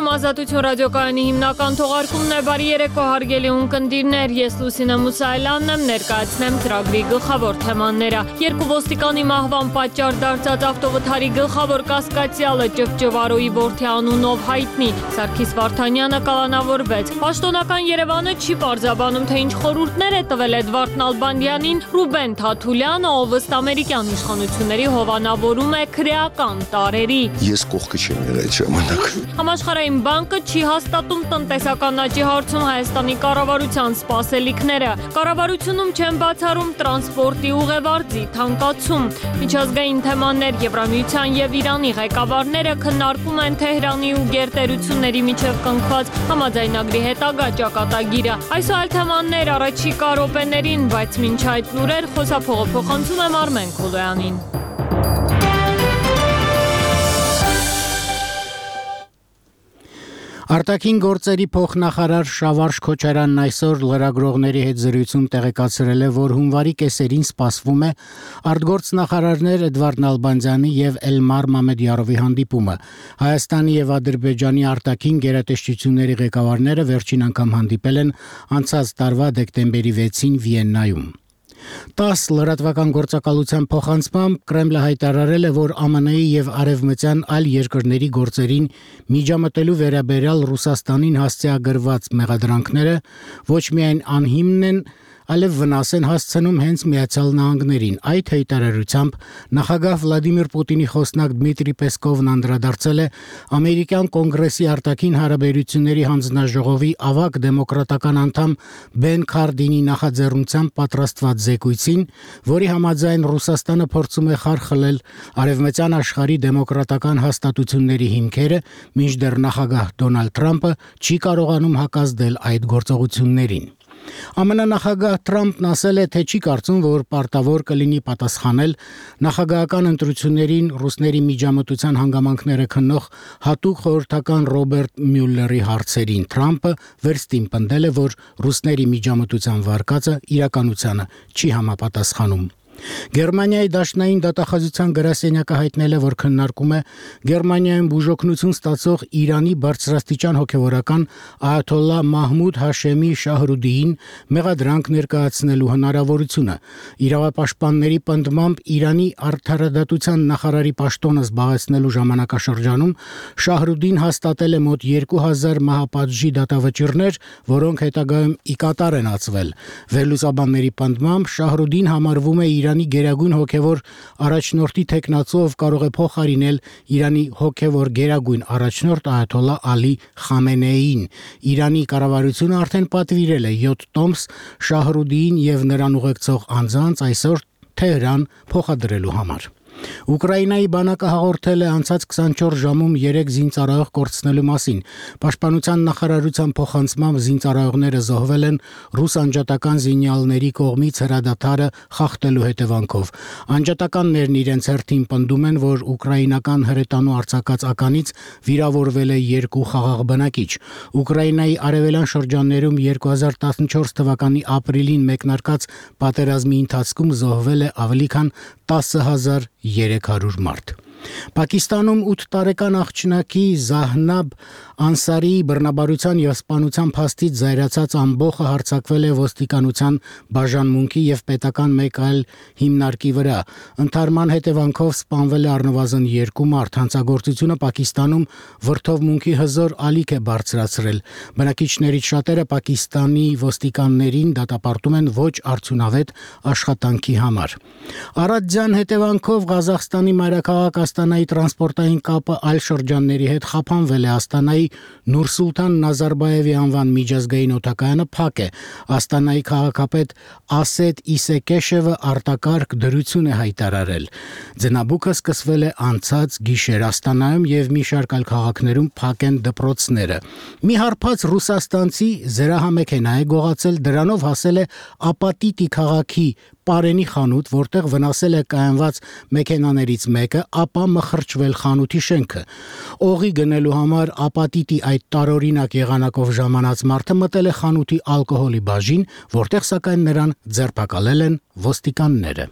Եթերում Ազատություն ռադիոկայանի հիմնական թողարկումն է, բարի երեկո հարգելի ունկնդիրներ, ես Լուսինե Մուսայելյանն եմ, ներկայացնեմ ծրագրի գլխավոր թեմաները։ Երկու ոստիկանի մահվան պատճառ դարձած ավտովթարի գլխավոր կասկածյալը ճվճվարոյի որդի անունով հայտնի, Սարգիս Վարդանյանը կալանավորվեց։ Պաշտոնական Երևանը չի պարզաբանում, թե ինչ խորհուրդներ է տվել Էդվարդ Նալբանդյանին, Ռուբեն Թաթուլյանը, ով ըստ ամերիկյան իշխանությունների հովանավորում է քրեական տարրերի։ Ես կողքը չեմ եղել այդ ժամանակ։ Համաշխարհային բանկը չի հաստատում տնտեսական աճի հարցում Հայաստանի կառավարության սպասելիքները։ Կառավարությունում չեն բացառում տրանսպորտի ուղևորձի թանկացում։ Միջազգային թեմաներ Եվրամիության եւ Իրանի ղեկավարները քննարկում են Թեհրանի ու գերտերությունների միջև կնքված համաձայնագրի հետագա ճակատագիրը։ Այս այլ թեմաներ առաջիկա րոպեներին, բայց մինչ այդ լուրեր խոսափողը փոխանցում եմ Արմեն Քոլոյանին։ Արտաքին գործերի փոխնախարար Շավարշ Քոչարյանն այսօր լրագրողների հետ զրույցում տեղեկացրել է, որ հունվարի կեսերին սպասվում է արտգործնախարարներ Էդվարդ Նալբանդյանի եւ Էլմար Մամեդյարովի հանդիպումը։ Հայաստանի եւ Ադրբեջանի արտաքին գերատեսչությունների ղեկավարները վերջին անգամ հանդիպել են անցած տարվա դեկտեմբերի 6-ին Վիեննայում։ 10 լրատվական գործակալության փոխանցմամբ Կրեմլը հայտարարել է, որ ԱՄՆ-ի եւ արևմտյան այլ երկրների գործերին միջամտելու վերաբերյալ Ռուսաստանին հասցեագրված մեղադրանքները ոչ միայն անհիմն են, այլև վնաս են հասցնում հենց Միացյալ Նահանգներին։ Այդ հայտարարությամբ նախագահ Վլադիմիր Պուտինի խոսնակ Դմիտրի Պեսկովն անդրադարձել է ամերիկյան կոնգրեսի արտաքին հարաբերությունների հանձնաժողովի ավագ դեմոկրատական անդամ Բեն Քարդինի նախաձեռնությամբ պատրաստված զեկույցին, որի համաձայն Ռուսաստանը փորձում է խարխլել արևմտյան աշխարհի դեմոկրատական հաստատությունների հիմքերը, մինչդեռ նախագահ Դոնալդ Թրամփը չի կարողանում հակազդել այդ գործողություններին։ ԱՄՆ նախագահ Թրամփն ասել է, թե չի կարծում, որ պարտավոր կլինի պատասխանել նախագահական ընտրություններին ռուսների միջամտության հանգամանքները քննող հատուկ խորհրդական Ռոբերտ Մյուլլերի հարցերին։ Թրամփը վերստին պնդել է, որ ռուսների միջամտության վարկածը իրականությանը չի համապատասխանում։ Գերմանիայի դաշնային դատախազության գրասենյակը հայտնել է, որ քննարկում է Գերմանիայում բուժօգնություն ստացող Իրանի բարձրաստիճան հոգևորական այաթոլլա Մահմուդ Հաշեմի Շահրուդիին մեղադրանք ներկայացնելու հնարավորությունը։ Իրավապաշտպանների պնդմամբ Իրանի արդարադատության նախարարի պաշտոնը զբաղեցնելու ժամանակաշրջանում Շահրուդին հաստատել է մոտ 2000 մահապատժի դատավճիռներ, որոնք հետագայում ի կատար են ածվել։ Վերլուծաբանների պնդմամբ Շահրուդին համարվում է Իրանի գերագույն հոգևոր առաջնորդի թեկնածով կարող է փոխարինել Իրանի հոգևոր գերագույն առաջնորդ այաթոլլա Ալի Խամենեիին։ Իրանի կառավարությունը արդեն պատվիրել է 7 տոմս Շահրուդիին եւ նրան ուղեկցող անձանց այսօր Թեհրան փոխադրելու համար։ Ուկրաինայի բանակը հաղորդել է անցած 24 ժամում 3 զինծառայող կորցնելու մասին։ Պաշտպանության նախարարության փոխանցմամբ զինծառայողները զոհվել են ռուս անջատական զինյալների կողմից հրադադարը խախտելու հետևանքով։ Անջատականներն իրենց հերթին պնդում են, որ ուկրաինական հրետանու արձակած ականից վիրավորվել է 2 խաղաղ բնակիչ։ Ուկրաինայի արևելյան շրջաններում 2014 թվականի ապրիլին մեկնարկած պատերազմի ընթացքում զոհվել է ավելի քան 10,300 մարդ։ Պակիստանում 8 տարեկան աղջնակի Զահնաբ Անսարիի բռնաբարության եւ սպանության փաստից զայրացած ամբոխը հարձակվել է ոստիկանության բաժանմունքի եւ պետական մեկ այլ հիմնարկի վրա։ Ընթարման հետևանքով սպանվել է առնվազն 2 մարդ։ Հանցագործությունը Պակիստանում վրդովմունքի հզոր ալիք է բարձրացրել։ Բնակիչներից շատերը Պակիստանի ոստիկաններին դատապարտում են ոչ արդյունավետ աշխատանքի համար։ Արադյան հետևանքով Ղազախստանի մայրաքաղաք Աստանայի տրանսպորտային կապը այլ շրջանների հետ խափանվել է։ Աստանայի Նուրսուլտան Նազարբաևի անվան միջազգային օդակայանը փակ է։ Աստանայի քաղաքապետ Ասեդ Իսեկեշևը արտակարգ դրություն է հայտարարել։ Ձնաբուկը սկսվել է անցած գիշեր Աստանայում եւ մի շարք այլ քաղաքներում փակ են դպրոցները։ Մի հարբած ռուսաստանցի զրահամեքենա է գողացել, դրանով հասել է Ապատիտի քաղաքի Պարենի խանութ, որտեղ վնասել է կայանված մեքենաներից մեկը, ապա մխրճվել խանութի շենքը։ Օղի գնելու համար Ապատիտի այդ տարօրինակ եղանակով ժամանած մարդը մտել է խանութի ալկոհոլի բաժին, որտեղ սակայն նրան ձերբակալել են ոստիկանները։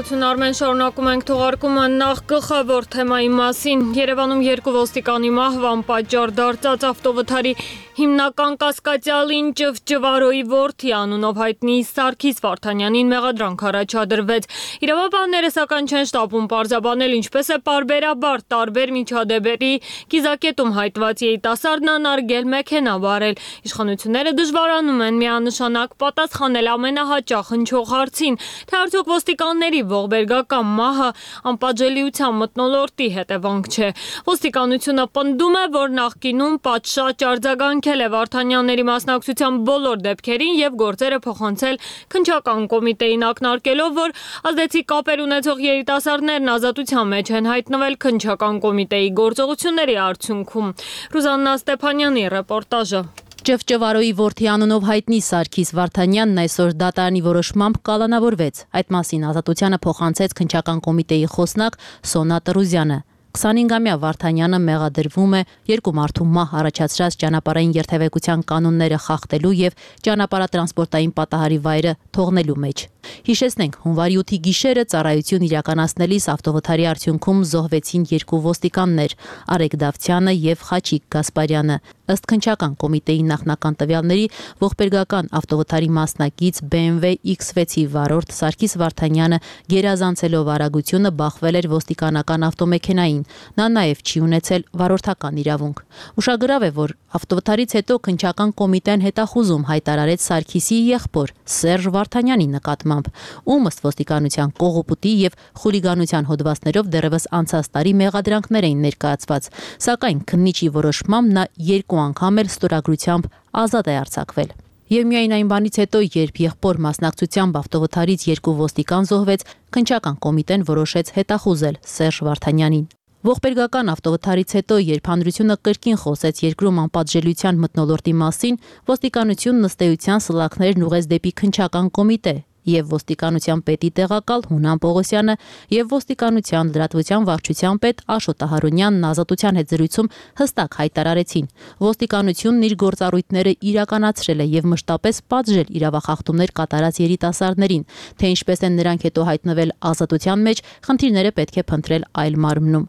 Շնորհակալություն Արմեն, շարունակում ենք թողարկումը նախ գլխավոր թեմայի մասին։ Երևանում 2 ոստիկանի մահվան պատճառ դարձած ավտովթարի հիմնական կասկածյալին Ճվճվարոյի որդի անունով հայտնի Սարգիս Վարդանյանին մեղադրանք առաջադրվեց։ Իրավաբանները սակայն չեն շտապում պարզաբանել ինչպես է պարբերաբար տարբեր միջադեպերի կիզակետում հայտնված երիտասարդն անարգել մեքենա վարել։ Իշխանությունները դժվարանում են միանշանակ պատասխանել ամենահաճախ հնչող հարցին, թե արդյոք ոստիկանների ողբերգական մահը անպատժելիության մթնոլորտի հետևանք չէ։ Ոստիկանությունը պնդում է, որ նախկինում պատշաճ արձագանքել է Վարդանյանների մասնակցության բոլոր դեպքերին եւ գործերը փոխանցել քննչական կոմիտեին ակնարկելով, որ ազդեցիկ կապեր ունեցող երիտասարդներն ազատության մեջ են հայտնվել քննչական կոմիտեի գործողությունների արդյունքում։ Ռուզաննա Ստեփանյանի ռեպորտաժը։ Ճվճվարոյի որդի անունով հայտնի Սարգիս Վարդանյանն այսօր դատարանի որոշմամբ կալանավորվեց։ Այդ մասին ազատությանը փոխանցեց քննչական կոմիտեի խոսնակ Սոնա Տրուզյանը։ 25-ամյա Վարդանյանը մեղադրվում է 2 մարդու մահ առաջացրած ճանապարհային երթևեկության կանոնները խախտելու եւ ճանապարհատրանսպորտային պատահարի վայրը թողնելու մեջ։ Հիշեցնենք, հունվարի 8-ի գիշերը ծառայություն իրականացնելիս ավտովթարի արդյունքում զոհվեցին 2 ոստիկաններ՝ Արեգ Դավթյանը եւ Խաչիկ Գասպարյանը։ Ըստ քննչական կոմիտեի նախնական տվյալների, ողբերգական ավտովթարի մասնակից BMW X6-ի վարորդ Սարգիս Վարդանյանը գերազանցելով արագությունը բախվել էր ոստիկանական ավտոմեքենային։ Նա նաև չի ունեցել վարորդական իրավունք։ Ուշագրավ է, որ ավտովթարից հետո քննչական կոմիտեն հետախուզում հայտարարեց Սարգիսի եղբոր Սերժ Վարդանյանի նկատմամբ, ում ըստ ոստիկանության կողոպուտի եւ խուլիգանության հոդվածներով դեռևս անցած տարի մեղադրանքներ էին ներկայացված, սակայն քննիչի որոշմամբ նա 2 անգամ էլ ստորագրությամբ ազատ է արձակվել։ Եվ միայն այն բանից հետո, երբ եղբոր մասնակցությամբ ավտովթարից 2 ոստիկան զոհվեց, քննչական կոմիտեն որոշեց հետախուզել Սերժ Վարդանյանին։ Ողբերգական ավտովթարից հետո, երբ հանրությունը կրկին խոսեց երկրում անպատժելիության մթնոլորտի մասին, ոստիկանությունն ըստ էության սլաքներն ուղղեց դեպի քննչական կոմիտե, եւ ոստիկանության պետի տեղակալ Հունան Պողոսյանը եւ ոստիկանության լրատվության վարչության պետ Աշոտ Ահարոնյանն ազատության հետ զրույցում հստակ հայտարարեցին. ոստիկանությունն իր գործառույթները իրականացրել է եւ մշտապես պատժել իրավախախտումներ կատարած երիտասարդներին, թե ինչպես են նրանք հետո հայտնվել ազատության մեջ, խնդիրները պետք է փնտրել այլ մարմնում։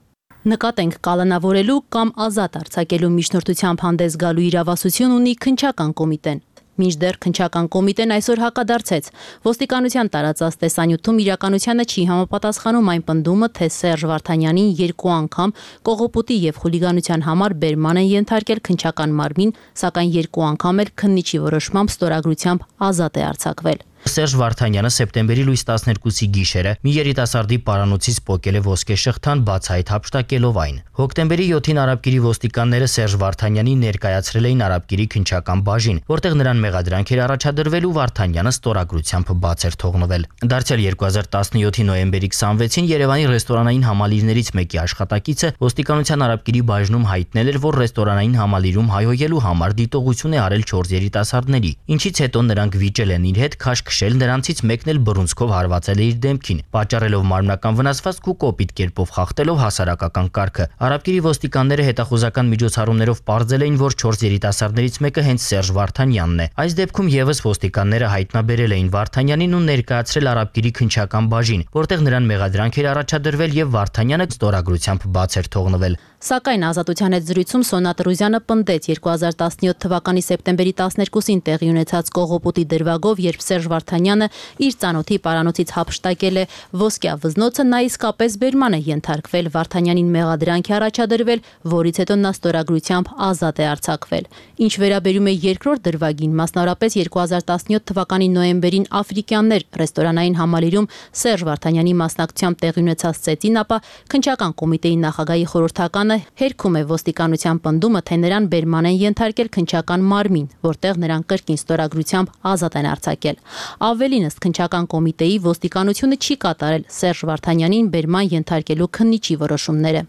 Նկատենք, կալանավորելու կամ ազատ արձակելու միջնորդությամբ հանդես գալու իրավասություն ունի քննչական կոմիտեն։ Մինչդեռ քննչական կոմիտեն այսօր հակադարձեց։ Ոստիկանության տարածած տեսանյութում իրականությանը չի համապատասխանում այն պնդումը, թե Սերժ Վարդանյանին 2 անգամ կողոպուտի եւ խուլիգանության համար բերման են ենթարկել քննչական մարմին, սակայն 2 անգամ էլ քննիչի որոշմամբ ստորագրությամբ ազատ է արձակվել։ Սերժ Վարդանյանը սեպտեմբերի լույս 12-ի գիշերը մի երիտասարդի պարանոցից պոկել է ոսկե շղթան բացահայտ հափշտակելով այն։ Հոկտեմբերի 7-ին Արաբկիրի ոստիկանները Սերժ Վարդանյանին ներկայացրել էին Արաբկիրի քննչական բաժին, որտեղ նրան մեղադրանք էր առաջադրվել ու Վարդանյանը ստորագրությամբ բաց էր թողնվել։ Դարձյալ 2017-ի նոյեմբերի 26-ին Երևանի ռեստորանային համալիրներից մեկի աշխատակիցը ոստիկանության Արաբկիրի բաժնում հայտնել էր, որ ռեստորանային համալիրում հայհոյելու համար դիտողություն է արել 4 երիտասարդների, ինչից հետո նրանք վիճել են իր հետ քաշ քշել, նրանցից մեկն էլ բռունցքով հարվածել է իր դեմքին, պատճառելով մարմնական վնասվածք ու կոպիտ կերպով խախտելով հասարակական կարգը։ Արաբկիրի ոստիկանները հետախուզական միջոցառումներով պարզել էին, որ 4 երիտասարդներից մեկը հենց Սերժ Վարդանյանն է։ Այս դեպքում եւս ոստիկանները հայտնաբերել էին Վարդանյանին ու ներկայացրել Արաբկիրի քննչական բաժին, որտեղ նրան մեղադրանք էր առաջադրվել եւ Վարդանյանը ստորագրությամբ բաց էր թողնվել։ Սակայն ազատության հետ զրույցում Սոնա Տրուզյանը պնդեց 2017 թվականի սեպտեմբերի 12-ին տեղի ունեցած կողոպուտի դրվագով, երբ Սերժ Վարդանյանը իր ծանոթի պարանոցից հափշտակել է ոսկյա վզնոցը, նա իսկապես բերման է ենթարկվել, Վարդանյանին մեղադրանք է առաջադրվել, որից հետո նա ստորագրությամբ ազատ է արձակվել։ Ինչ վերաբերում է երկրորդ դրվագին, մասնավորապես 2017 թվականի նոյեմբերին աֆրիկյաններ ռեստորանային համալիրում Սերժ Վարդանյանի մասնակցությամբ տեղի ունեցած ծեծին, ապա քննչական կոմիտեի նախագահի խորհրդականը հերքում է ոստիկանության պնդումը, թե նրան բերման են ենթարկել քննչական մարմին, որտեղ նրան կրկին ստորագրությամբ ազատ են արձակել։ Ավելին, ըստ քննչական կոմիտեի, ոստիկանությունը չի կատարել Սերժ Վարդանյանին բերման ենթարկելու քննիչի որոշումները։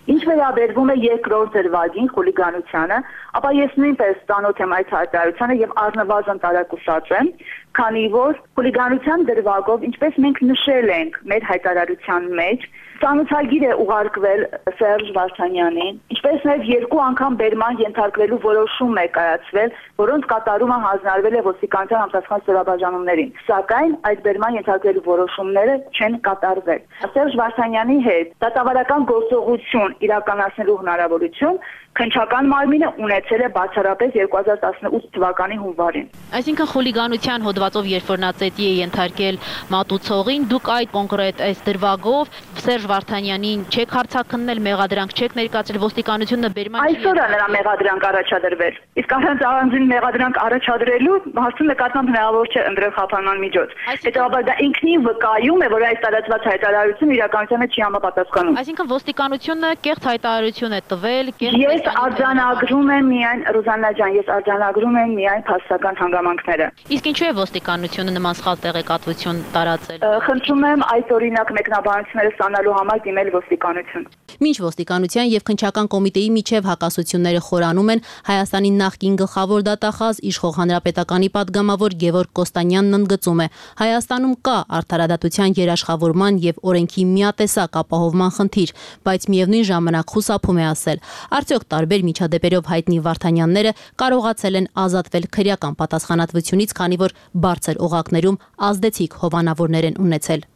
Ինչ վերաբերվում է երկրորդ դրվագին խուլիգանությանը, ապա ես նույնպես ծանոթ եմ այդ հայտարարությանը եւ առնվազն տարակուսած եմ, քանի որ խուլիգանության դրվագով, ինչպես մենք նշել ենք մեր հայտարարության մեջ, ծանոթագիր է ուղարկվել Սերժ Վարդանյանին, ինչպես նաև 2 անգամ բերման ենթարկվելու որոշում է կայացվել, որոնց կատարումը հանձնարարվել է ոստիկանության համապատասխան ստորաբաժանումներին, սակայն այդ բերման ենթարկվելու որոշումները չեն կատարվել։ Սերժ Վարդանյանի հետ դատավարական գործողություն իրականացնելու հնարավորություն քննչական մարմինը ունեցել է բացառապես 2018 թվականի հունվարին։ Այսինքն խուլիգանության հոդվածով երբ որ նա ծետի է ենթարկել մատուցողին, դուք այդ կոնկրետ այս դրվագով Սերժ Վարդանյանին չեք հարցաքննել, մեղադրանք չեք ներկայացրել, ոստիկանությունը բերման չի։ Այսօր է նրա մեղադրանք առաջադրվել։ Իսկ առանց առանձին մեղադրանք առաջադրելու հարցում նկատմամբ հնարավոր չէ ընտրել խափանման միջոց։ Հետևաբար դա ինքնին վկայում է, որ այս տարածված հայտարարությունը իրականությանը չի համապատասխանում։ Այսինքն ոստիկանությունը կեղծ հայտարարություն է տվել, Ես արձանագրում եմ միայն Ռուզաննա ջան, ես արձանագրում եմ միայն փաստական հանգամանքները։ Իսկ ինչու է ոստիկանությունը նման սխալ տեղեկատվություն տարածել։ Խնդրում եմ այդ օրինակ մեկնաբանությունները ստանալու համար դիմել ոստիկանություն։ Մինչ ոստիկանության եւ քննչական կոմիտեի միջև հակասությունները խորանում են, Հայաստանի նախկին գլխավոր դատախազ Իշխող հանրապետականի падգամավոր Գևորգ Կոստանյանն ընդգծում է. Հայաստանում կա արդարադատության երաշխավորման եւ օրենքի միատեսակ ապահովման խնդիր, բայց միևնույն ժամանակ խուսափում է ասել. Արդյոք տարբեր միջադեպերով հայտնի Վարդանյանները կարողացել են ազատվել քրեական պատասխանատվությունից, քանի որ բարձր օղակներում ազդեցիկ հովանավորներ են ունեցել։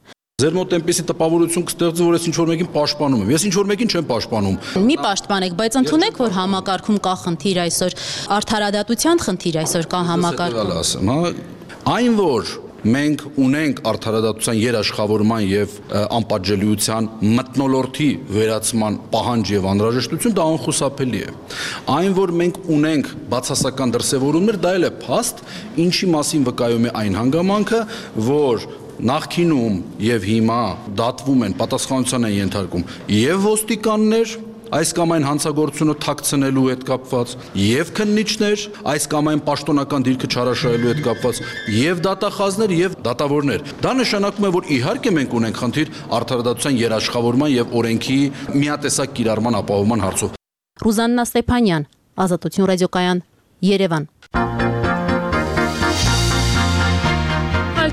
Ձեր մոտ այնպեսի տպավորություն կստեղծի, որ ես ինչ-որ մեկին պաշտպանում եմ։ Ես ինչ-որ մեկին չեմ պաշտպանում։ Մի պաշտպանեք, բայց ընդունեք, որ համակարգում կա խնդիր այսօր, արդարադատության խնդիր այսօր կա համակարգում։ Այն որ մենք ունենք արդարադատության երաշխավորման եւ անպատժելիության մթնոլորտի վերացման պահանջ եւ անհրաժեշտություն, դա անխուսափելի է։ Այն որ մենք ունենք բացասական դրսևորումներ, դա էլ է փաստ, ինչի մասին վկայում է այն հանգամանքը, որ նախկինում եւ հիմա դատվում են, պատասխանատվության են ենթարկում եւ ոստիկաններ, այս կամ այն հանցագործությունը թաքցնելու հետ կապված, եւ քննիչներ, այս կամ այն պաշտոնական դիրքը չարաշահելու հետ կապված, եւ դատախազներ եւ դատավորներ։ Դա նշանակում է, որ իհարկե մենք ունենք խնդիր արդարադատության երաշխավորման եւ օրենքի միատեսակ կիրառման ապահովման հարցով։ Ռուզաննա Ստեփանյան, Ազատություն ռադիոկայան, Երևան։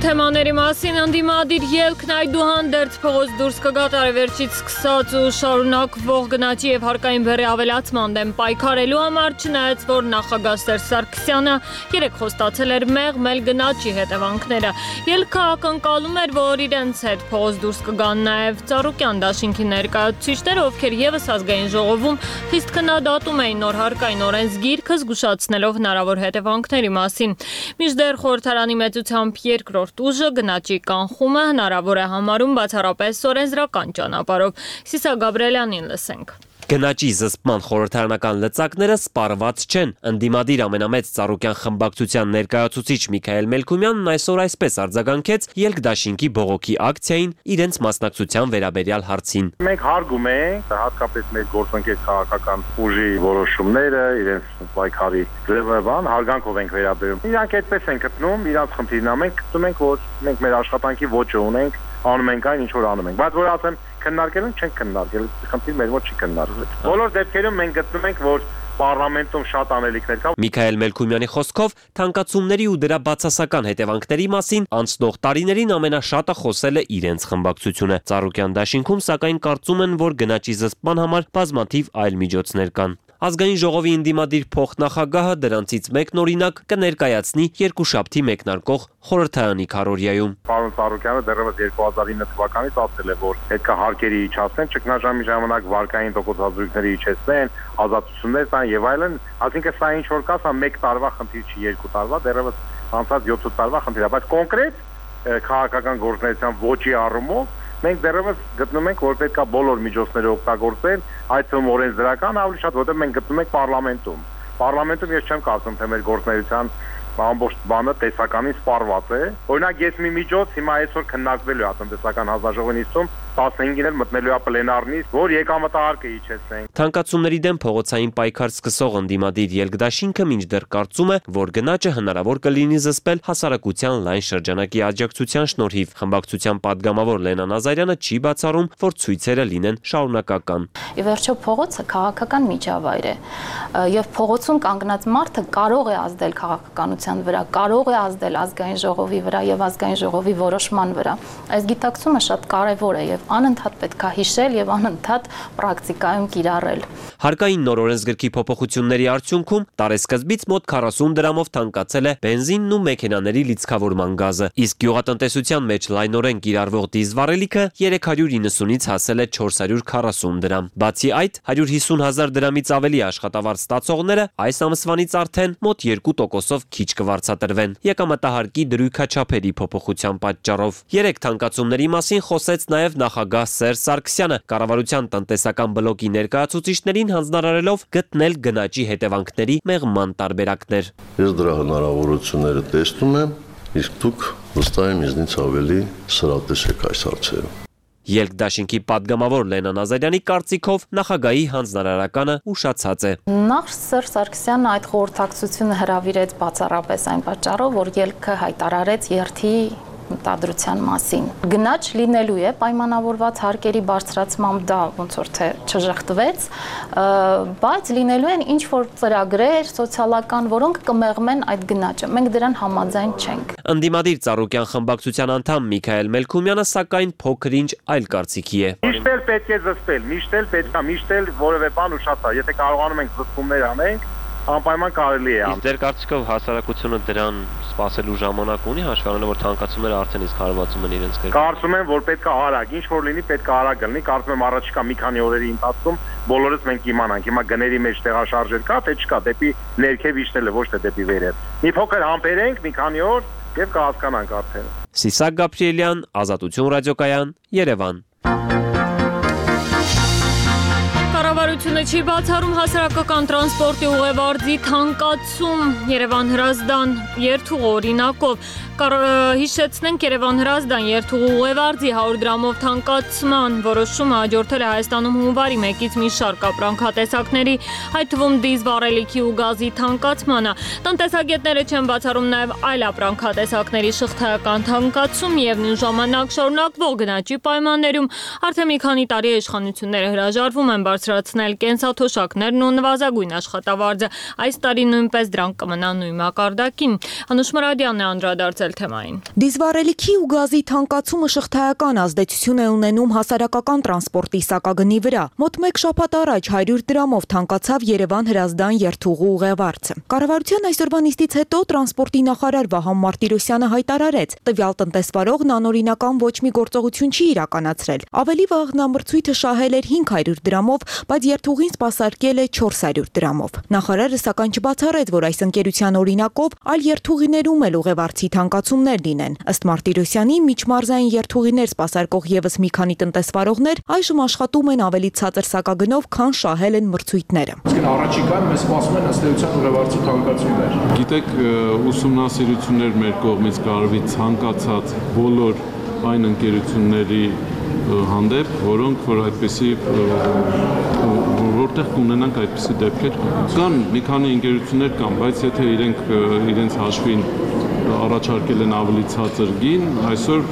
Թեմաների մասին ընդդիմադիր ելքն այդուհանդերձ փողոց դուրս կգա վերջից սկսած ու շարունակվող գնաճի եւ հարկային բեռի ավելացման դեմ պայքարելու համար, չնայած որ նախագահ Սերժ Սարգսյանը երեկ խոստացել էր մեղմել գնաճի հետևանքները։ Ելքը ակնկալում էր, որ իրենց հետ փողոց դուրս կգան նաեւ Ծառուկյան դաշինքի ներկայացուցիչները, ովքեր եւս ազգային ժողովում խիստ քննադատում էին նոր հարկային օրենսգիրքը, զգուշացնելով հնարավոր հետևանքների մասին։ Մինչդեռ խորհրդարանի մեծությամբ երկրորդ ուժը գնաճի կանխումը հնարավոր է համարում բացառապես օրենսդրական ճանապարհով։ Սիսա Գաբրելյանին լսենք։ Գնաճի զսպման խորհրդարանական լծակները սպառված չեն։ Ընդդիմադիր ամենամեծ Ծառուկյան խմբակցության ներկայացուցիչ Միքայել Մելքումյանն այսօր այսպես արձագանքեց ելքդաշինքի բողոքի ակցիային իրենց մասնակցության վերաբերյալ հարցին։ Մենք հարգում ենք հատկապես մեր գործընկեր քաղաքական ուժի որոշումները, իրենց պայքարի ձևաբան հարգանքով ենք վերաբերում։ Իրանք այդպես են գտնում, իրանք խնդիրն ամենք գտնում ենք, որ մենք մեր աշխատանքի ոճը ունենք, անում ենք այն, ինչ որ անում ենք։ Բայց որ ասեմ քննարկել են, չեն քննարկել, խնդիր մեր մոտ չի քննարկվել։ Բոլոր դեպքերում մենք գտնում ենք, որ Պարլամենտում շատ անելիքներ կա։ Միքայել Մելքումյանի խոսքով թանկացումների ու դրա բացասական հետևանքների մասին անցնող տարիներին ամենաշատը խոսել է իրենց խմբակցությունը։ Ծառուկյան դաշինքում սակայն կարծում են, որ գնաճի զսպման համար բազմաթիվ այլ միջոցներ կան։ Ազգային ժողովի ընդդիմադիր փոխնախագահը դրանցից մեկն օրինակ կներկայացնի երկուշաբթի մեկնարկող խորհրդարանի քարոզիայում։ Պարոն Ծառուկյանը դեռևս 2009 թվականից ասել է, որ պետք է հարկերի իջացնեն, ճգնաժամի ժամանակ վարկային տոկոսազրույցների իջեցնեն, ազատություններ տան եւ այլն, այսինքն սա ինչ որ կա, սա 1 տարվա խնդիր չի, 2 տարվա, դեռևս անցած 7 տարվա խնդիր է, բայց կոնկրետ քաղաքական գործունեության ոճի առումով մենք դեռևս գտնում ենք, որ պետք է բոլոր միջոցները օգտագործել, այդ թվում օրենսդրական ավելի շատ, որտեղ մենք գտնում ենք պարլամենտում։ Պարլամենտում ես չեմ կարծում, թե մեր գործունեության ամբողջ բանը տեսականին սպառված է։ Օրինակ ես մի միջոց հիմա այսօր քննարկվելու է տնտեսական հանձնաժողովի նիստում 15-ին էլ մտնելու է պլենարնից, որ եկամտահարկը իջեցնենք։ Թանկացումների դեմ փողոցային պայքար սկսող ընդդիմադիր ելքդաշինքը մինչդեռ կարծում է, որ գնաճը հնարավոր կլինի զսպել հասարակության լայն շրջանակի աջակցության շնորհիվ։ Խմբակցության պատգամավոր Լենա Նազարյանը չի բացառում, որ ցույցերը լինեն շարունակական։ Ի վերջո փողոցը քաղաքական միջավայր է, եւ փողոցում կանգնած մարդը կարող է ազդել քաղաքականության վրա, կարող է ազդել ազգային ժողովի վրա եւ ազգային ժողովի որոշման վրա։ Այս գիտակցումը շատ կարեւոր է եւ անընդհատ պետք է հիշել եւ անընդհատ պրակտիկայում կիրառել։ Հարկային նոր օրենսգրքի փոփոխությունների արդյունքում տարեսկզբից մոտ 40 դրամով թանկացել է բենզինն ու մեքենաների լիցքավորման գազը, իսկ գյուղատնտեսության մեջ լայնորեն կիրառվող դիզվառելիքը 390-ից հասել է 440 դրամ։ Բացի այդ, 150,000 դրամից ավելի աշխատավարձ ստացողները այս ամսվանից արդեն մոտ 2%-ով քիչ կվարձատրվեն եկամտահարկի դրույքաչափերի փոփոխության պատճառով։ Երեք թանկացումների մասին խոսեց նաև նախագահ Սերժ Սարգսյանը, կառավարության տնտեսական բլոկի ներկայացուցիչներին հանձնարարելով գտնել գնաճի հետևանքների մեղման տարբերակներ։ Ես դրա հնարավորությունները տեսնում եմ, իսկ դուք վստահ եմ ինձնից ավելի սրատես եք այս հարցերում։ Ելքդաշինքի պատգամավոր Լենա Նազարյանի կարծիքով նախագահի հանձնարարականը ուշացած է։ Նախ Սերժ Սարգսյանը այդ խորհրդակցությունը հրավիրեց բացառապես այն պատճառով, որ ելքը հայտարարեց երթի մտադրության մասին։ Գնաճ լինելու է պայմանավորված հարկերի բարձրացմամբ դա ոնց որ թե չժխտվեց, բայց լինելու են ինչ որ ծրագրեր սոցիալական, որոնք կմեղմեն այդ գնաճը։ Մենք դրան համաձայն չենք։ Ընդդիմադիր Ծառուկյան խմբակցության անդամ Միքայել Մելքումյանը սակայն փոքր-ինչ այլ կարծիքի է։ Միշտ էլ պետք է զսպել, միշտ էլ որևէ բան ուշացա, եթե կարողանում ենք զսպումներ անենք, անպայման կարելի է։ Իսկ ձեր կարծիքով հասարակությունը դրան սպասելու ժամանակ ունի, հաշվի առնելով որ թանկացումները արդեն իսկ հարվածում են իրենց գրկում։ Կարծում եմ, որ պետք է արագ, ինչ որ լինի, պետք է արագ լինի։ Կարծում եմ առաջիկա մի քանի օրերի ընթացքում բոլորս մենք կիմանանք։ Հիմա գների մեջ տեղաշարժեր կա, թե չկա, դեպի ներքև իջնելը, ոչ թե դեպի վերև։ Մի փոքր համբերենք, մի քանի օր եւ կհասկանանք արդեն։ Սիսակ Գաբրիելյան, Ազատություն ռադիոկայան, Երևան։ Կառավարությունը չի բացառում հասարակական տրանսպորտի ուղևորձի թանկացում Երևան-Հրազդան երթուղու օրինակով։ Հիշեցնենք Երևան-Հրազդան երթուղու ուղևորձի 100 դրամով թանկացման որոշումը հաջորդել է Հայաստանում հունվարի 1-ից մի շարք ապրանքատեսակների, այդ թվում դիզվառելիքի ու գազի թանկացմանը։ Տնտեսագետները չեն բացառում նաև այլ ապրանքատեսակների շղթայական թանկացում եւ նույն ժամանակ շարունակվող գնաճի պայմաններում արդեն մի քանի տարի իշխանությունները հրաժարվում են բարձրացնել կենսաթոշակներն ու նվազագույն աշխատավարձը։ Այս տարի նույնպես դրանք կմնան նույն մակարդակին։ Անուշ Մուրադյանն է անդրադարձել թեմային։ Դիզվառելիքի ու գազի թանկացումը շղթայական ազդեցություն է ունենում հասարակական տրանսպորտի սակագնի վրա։ Մոտ 1 շաբաթ առաջ 100 դրամով թանկացավ Երևան-Հրազդան երթուղու ուղևորձը։ Կառավարության այսօրվա նիստից հետո տրանսպորտի նախարար Վահան Մարտիրոսյանը հայտարարեց, տվյալ տնտեսվարողն անօրինական ոչ մի գործողություն չի իրականացրել։ Ավելի վաղ նա մրցույթը շահել էր 500 դրամով, բայց երթուղին սպասարկել է 400 դրամով։ Նախարարը սակայն չբացառեց, որ այս ընկերության օրինակով այլ երթուղիներում էլ ուղևորձի թանկացումներ լինեն։ Ըստ Մարտիրոսյանի, միջմարզային երթուղիներ սպասարկող եւս մի քանի տնտեսվարողներ այժմ աշխատում են ավելի ցածր սակագնով, քան շահել են մրցույթները։ Իսկ առաջիկայում մեզ սպասում են ըստ էության ուղևորձի թանկացումներ։ Գիտեք, ուսումնասիրություններ մեր կողմից կարվի ցանկացած բոլոր այն ընկերությունների հանդեպ, որոնք որ այդպիսի որտեղ կունենանք այդպիսի դեպքեր կան մի քանի ընկերություններ կան, բայց եթե իրենց հաշվին առաջարկել են ավելի ցածր գին, այսօր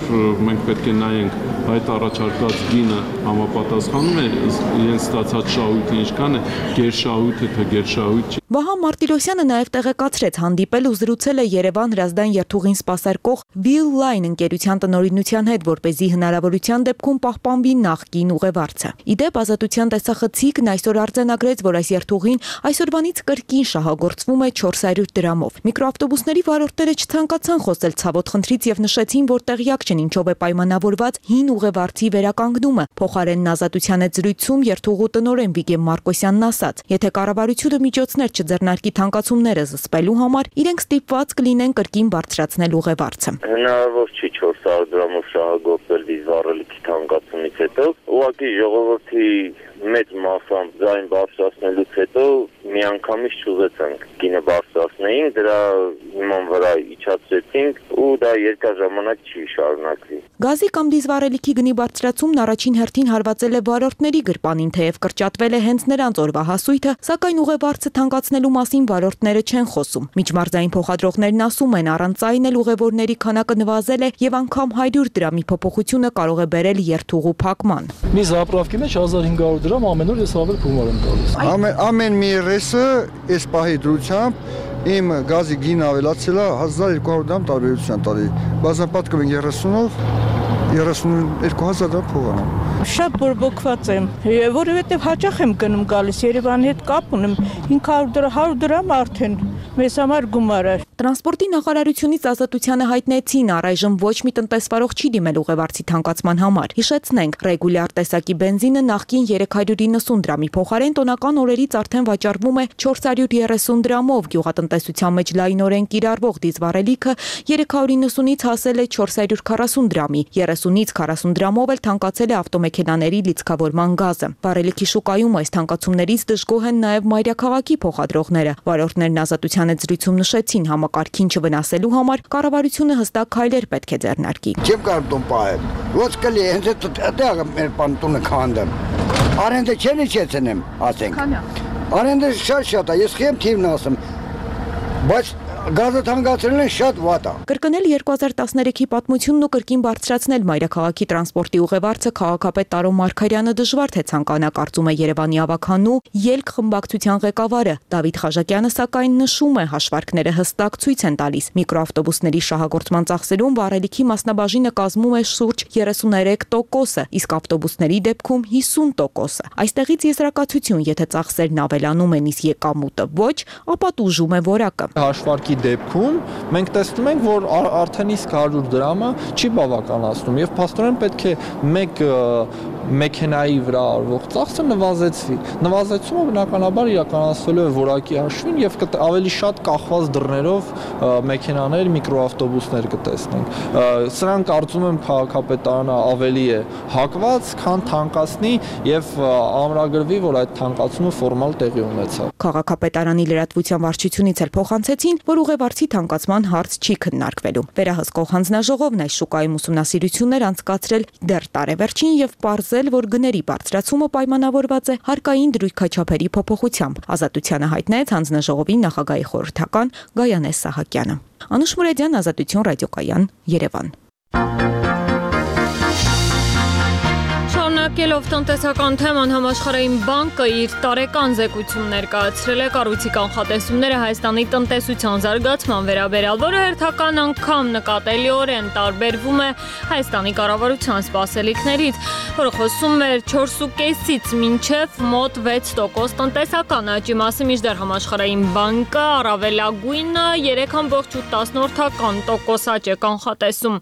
մենք պետք է նայենք այդ առաջարկած գինը համապատասխանում է իրենց ստացած շահույթը ինչքան է, գերշահույթ է թե գերշահույթ չի։ Վահան Մարտիրոսյանը նաև տեղեկացրեց, հանդիպել ու զրուցել է Երևան-Հրազդան երթուղին սպասարկող Will Line ընկերության տնօրինության հետ, որպեսզի հնարավորության դեպքում պահպանվի նախկին ուղևորձը։ Իդեպ Ազատության տեսախցիկն այսօր արձանագրեց, որ այս երթուղին այսօրվանից կրկին շահագործվում է 400 դրամով։ Միկրոավտոբուսների վարորդները չցանկացան խոսել ցավոտ խնդրից եւ նշեցին, որ տեղյակ չեն ինչով է պայմանավորված հին ուղևորձի վերականգնումը։ Փոխարենն Ազատության հետ զրույցում երթուղու տնօրեն Վիգեն Մարկոսյանն ասաց, եթե կառավարությունը միջոցներ չձեռնարկի թանկացումները զսպելու համար, իրենք ստիպված կլինեն կրկին բարձրացնել ուղևորձը։ Հնարավոր չի 400 դրամով շահագործել դիզվառելիքի թանկացումից հետո, ուղղակի ժողովրդի մեծ մասամբ ձայն բարձրացնելուց հետո միանգամից չուզեցանք գինը բարձրացնեին, դրա հիման վրա իջացրեցինք ու դա երկար ժամանակ չի շարունակվի։ Գազի կամ դիզվառելիքի գնի բարձրացումն առաջին հերթին հարվածել է վարորդների գրպանին, թեև կրճատվել է հենց նրանց օրվա հասույթը, սակայն ուղևորձը թանկացնելու մասին վարորդները չեն խոսում։ Միջմարզային փոխադրողներն ասում են, առանց այն էլ ուղևորների քանակը նվազել է եւ անգամ 100 դրամի փոփոխությունը կարող է բերել երթուղու փակման։ Մի զապրավկի մեջ 1500 դրամ ամեն օր ես ավել փումար եմ տալիս։ Ամեն մի ռեսը այս պահի դրությամբ իմ գազի գինը ավելացել է 1200 դրամ տարբերություն տալի։ Բազմապատկում են 30-ով 32,000 դրամ փող ունեմ։ Շատ բորբոքված եմ, որովհետև հաճախ եմ գնում գալիս, Երևանի հետ կապ ունեմ, 500 դրամ, 100 դրամ արդեն մեզ համար գումար է։ Տրանսպորտի նախարարությունից Ազատությանը հայտնեցին, առայժմ ոչ մի տնտեսվարող չի դիմել ուղևորձի թանկացման համար։ Հիշեցնենք, ռեգուլյար տեսակի բենզինը նախկին 390 դրամի փոխարեն տոնական օրերից արդեն վաճառվում է 430 դրամով, գյուղատնտեսության մեջ լայնորեն կիրառվող դիզվառելիքը 390-ից հասել է 440 դրամի, 30-ից 40 դրամով էլ թանկացել է ավտոմեքենաների լիցքավորման գազը։ Վառելիքի շուկայում այս թանկացումներից դժգոհ են նաև մայրաքաղաքի փոխադրողները։ Վարորդներն Ազատության հետ զրույցում նշեցին, համակարգին չվնասելու համար կառավարությունը հստակ քայլեր պետք է ձեռնարկի։ Չեմ կարող տուն պահել։ Ոչ կլի, հենց այդտեղ մեր տունը քանդեմ։ Արենդը չեն իջեցնեմ, ասենք։ Արենդը շատ է, ես խեմ թիվն ասեմ։ Բայց գազը թանկացրելն է շատ վատ է։ Կրկնել 2013-ի պատմությունն ու կրկին բարձրացնել մայրաքաղաքի տրանսպորտի ուղևորձը քաղաքապետ Տարո Մարգարյանը դժվար թե ցանկանա, կարծում է Երևանի ավականու ելք խմբակցության ղեկավարը Դավիթ Խաժակյանը, սակայն նշում է, հաշվարկները հստակ ցույց են տալիս։ Միկրոավտոբուսների շահագործման ծախսերում վառելիքի մասնաբաժինը կազմում է շուրջ 33%, իսկ ավտոբուսների դեպքում 50%։ Այստեղից եզրակացություն, եթե ծախսերն ավելանում են, իսկ եկամուտը ոչ, ապա տուժում է որակը։ Հաշվարկի դեպքում մենք տեսնում ենք, որ արդեն իսկ 100 դրամը չի բավականացնում եւ փաստորեն պետք է մեկ մեքենայի վրա արվող ծախսը նվազեցվի։ Նվազեցումը բնականաբար իրականացվելու է որակի հաշվին եւ ավելի շատ կախված դռներով մեքենաներ, միկրոավտոբուսներ կտեսնենք։ Սրանք կարծում եմ քաղաքապետարանը ավելի է հակված, քան թանկացնի եւ ամրագրվի, որ այդ թանկացումը ֆորմալ տեղի ունեցավ։ Քաղաքապետարանի լրատվության վարչությունից էլ փոխանցեցին, որ ուղևորձի թանկացման հարց չի քննարկվելու։ Վերահսկող հանձնաժողովն այս շուկայում ուսումնասիրություններ անցկացրել դեռ տարեվերջին եւ պարզել, որ գների բարձրացումը պայմանավորված է հարկային դրույքաչափերի փոփոխությամբ։ Ազատությանը հայտնեց հանձնաժողովի նախագահի խորհրդական Գայանե Սահակյանը։ Անուշ Մուրադյան, Ազատություն ռադիոկայան, Երևան։ Շարունակելով տնտեսական թեման, Համաշխարհային բանկը իր տարեկան զեկույցում ներկայացրել է կառույցի կանխատեսումները Հայաստանի տնտեսության զարգացման վերաբերյալ, որը հերթական անգամ նկատելիորեն տարբերվում է Հայաստանի կառավարության սպասելիքներից, որը խոսում էր 4.5-ից մինչև մոտ 6% տնտեսական աճի մասին, մինչդեռ Համաշխարհային բանկը առավելագույնը 3.8% աճ է կանխատեսում։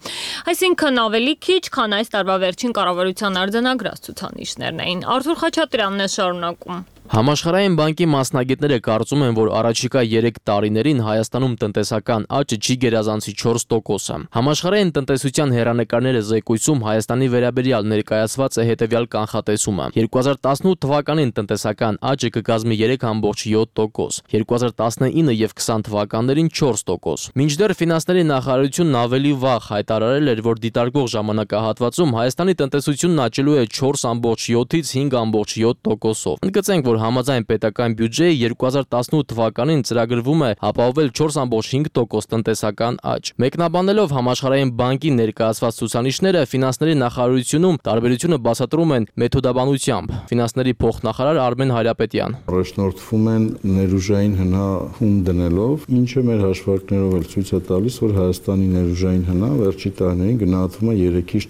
Այսինքն ավելի քիչ, քան այս տարվա վերջին կառավարության արձանագրած ցուցանիշներն էին։ Արթուր Խաչատրյանն է շարունակում։ Համաշխարհային բանկի մասնագետները կարծում են, որ առաջիկա 3 տարիներին Հայաստանում տնտեսական աճը չի գերազանցի 4%-ը։ Համաշխարհային տնտեսության հեռանկարները զեկույցում Հայաստանի վերաբերյալ ներկայացված է հետևյալ կանխատեսումը. 2018 թվականին տնտեսական աճը կկազմի 3.7%, 2019 եւ 20 թվականներին 4%։ Մինչդեռ ֆինանսների նախարարությունն ավելի վաղ հայտարարել էր, որ դիտարկող ժամանակահատվածում Հայաստանի տնտեսությունն աճելու է 4.7-ից 5.7%-ով։ Ընդգծենք, որ համաձայն պետական բյուջեի 2018 թվականին ծրագրվում է ապահովել 4.5% տնտեսական աճ։ Մեկնաբանելով Համաշխարհային բանկի ներկայացված ցուցանիշները, ֆինանսների նախարարությունում տարբերությունը բացատրում են մեթոդաբանությամբ։ Ֆինանսների փոխնախարար Արմեն Հայրապետյան։ Առաջնորդվում են ներուժային հնահում դնելով, ինչը մեր հաշվարկներով էլ ցույց է տալիս, որ Հայաստանի ներուժային հնա վերջի տարիներին գնահատվում է 3-ից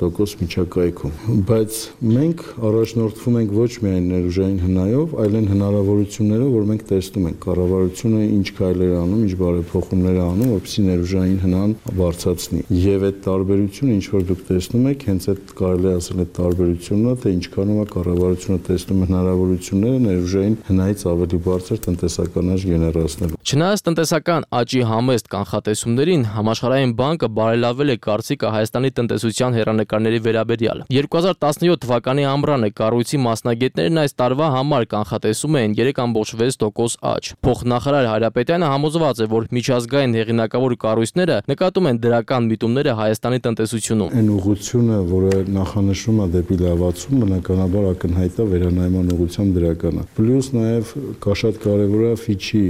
4% միջակայքում։ Բայց մենք առաջնորդվում ենք ոչ միայն ներուժային հնա մեքենայով, այլ այն հնարավորությունները, որ մենք տեսնում ենք կառավարությունը ինչ քայլեր է անում, ինչ բարեփոխումներ է անում, որպեսզի ներուժային հնան բարձրացնի։ Եվ այդ տարբերությունը, ինչ որ դուք տեսնում եք, հենց այդ կարելի է ասել այդ տարբերությունն է, թե ինչքանով է կառավարությունը տեսնում է հնարավորությունները ներուժային հնայից ավելի բարձր տնտեսական աճ գեներացնելու։ Չնայած տնտեսական աճի համեստ կանխատեսումներին, Համաշխարհային բանկը բարելավել է կարծիքը Հայաստանի տնտեսության հեռանկարների վերաբերյալ։ 2017 թվականի ամռանը կառույցի մասնագետներն այս տարվա համար կանխատեսում են 3.6% աճ։ Փոխնախարար Հայրապետյանը համոզված է, որ միջազգային հեղինակավոր կառույցները նկատում են դրական միտումները Հայաստանի տնտեսությունում։ Այն ուղղությունը, որը նախանշվում է դեպի լավացում, բնականաբար ակնհայտ է վերանայման ուղղությամբ դրական է։ Պլյուս նաև կա շատ կարևոր է Ֆիչի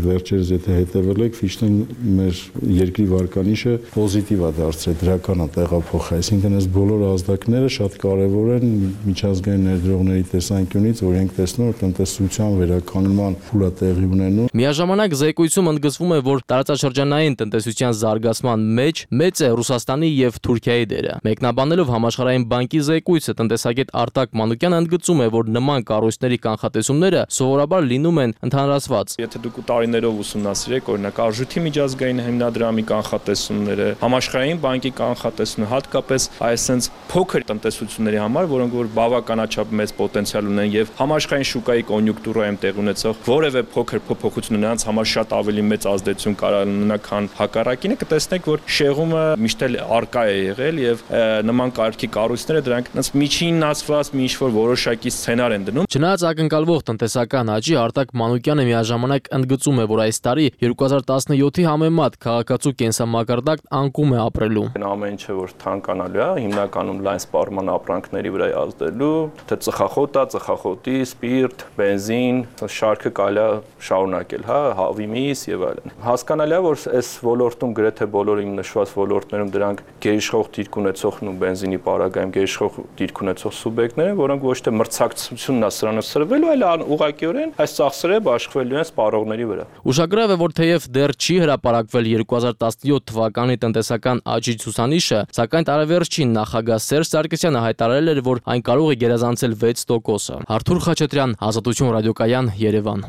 վերջերս եթե հետևել եք, Ֆիչն մեր երկրի վարկանիշը պոզիտիվ է դարձրել, դրական է տեղափոխել, այսինքն այս բոլոր ազդակները շատ կարևոր են միջազգային ներդրողների տեսանկյունից, որ ենք տեսնում, որ տնտեսության վերականգնման փուլ է տեղի ունենում։ Միաժամանակ զեկույցում ընդգծվում է, որ տարածաշրջանային տնտեսության զարգացման մեջ մեծ է Ռուսաստանի եւ Թուրքիայի դերը։ Մեկնաբանելով Համաշխարհային բանկի զեկույցը, տնտեսագետ Արտակ Մանուկյանը ընդգծում է, որ նման կառույցների կանխատեսումները սովորաբար լինում են ընդհանրացված։ Եթե դուք տարիներով ուսումնասիրեք, օրինակ Արժույթի միջազգային հիմնադրամի կանխատեսումները, Համաշխարհային բանկի կանխատեսումները, հատկապես այսպես փոքր տնտեսությունների համար, որոնք որ բավականաչափ մեծ պոտենցիալ ունեն եւ համաշխարհային շուկայի կոնյունկտուրայում տեղ ունեցող որևէ փոքր փոփոխություն նրանց համար շատ ավելի մեծ ազդեցություն կարող ունենա, քան հակառակինը, կտեսնեք, որ շեղումը միշտ էլ արկա է եղել եւ նման կարգի կառույցները դրանք այնպես միջինացված մի ինչ-որ որոշակի սցենար են դնում։ Չնայած ակնկալվող տնտեսական աճի, Արտակ Մանուկյանը միաժամանակ ընդգծում է, որ այս տարի 2017-ի համեմատ քաղաքացու կենսամակարդակ անկում է ապրելու։ Ամեն ինչը որ թանկանալու է, հիմնականում լայն սպառման ապրանքների վրա է ազդելու, թե ծխախոտ է, ծխախոտի, սպիրտ, բենզին, շարքը կարելի է շարունակել, հա, հավի միս եւ այլն։ Հասկանալի է, որ այս ոլորտում գրեթե բոլոր իմ նշված ոլորտներում դրանք գերիշխող դիրք ունեցող ու բենզինի պարագայում գերիշխող դիրք ունեցող սուբյեկտներ են, որոնք ոչ թե մրցակցությունն է սրանով սրվելու, այլ ուղղակիորեն այս ծախսերը բաշխվելու են սպառողների վրա։ Ուշագրավ է, որ թեև դեռ չի հրապարակվել 2017 թվականի տնտեսական աճի ցուցանիշը, սակայն տարեվերջին նախագահ Սերժ Սարգսյանը հայտարարել էր, որ այն կարող է գերազանցել 6%-ը։ Արթուր Խաչատրյան, Ազատություն ռադիոկայան, Երևան։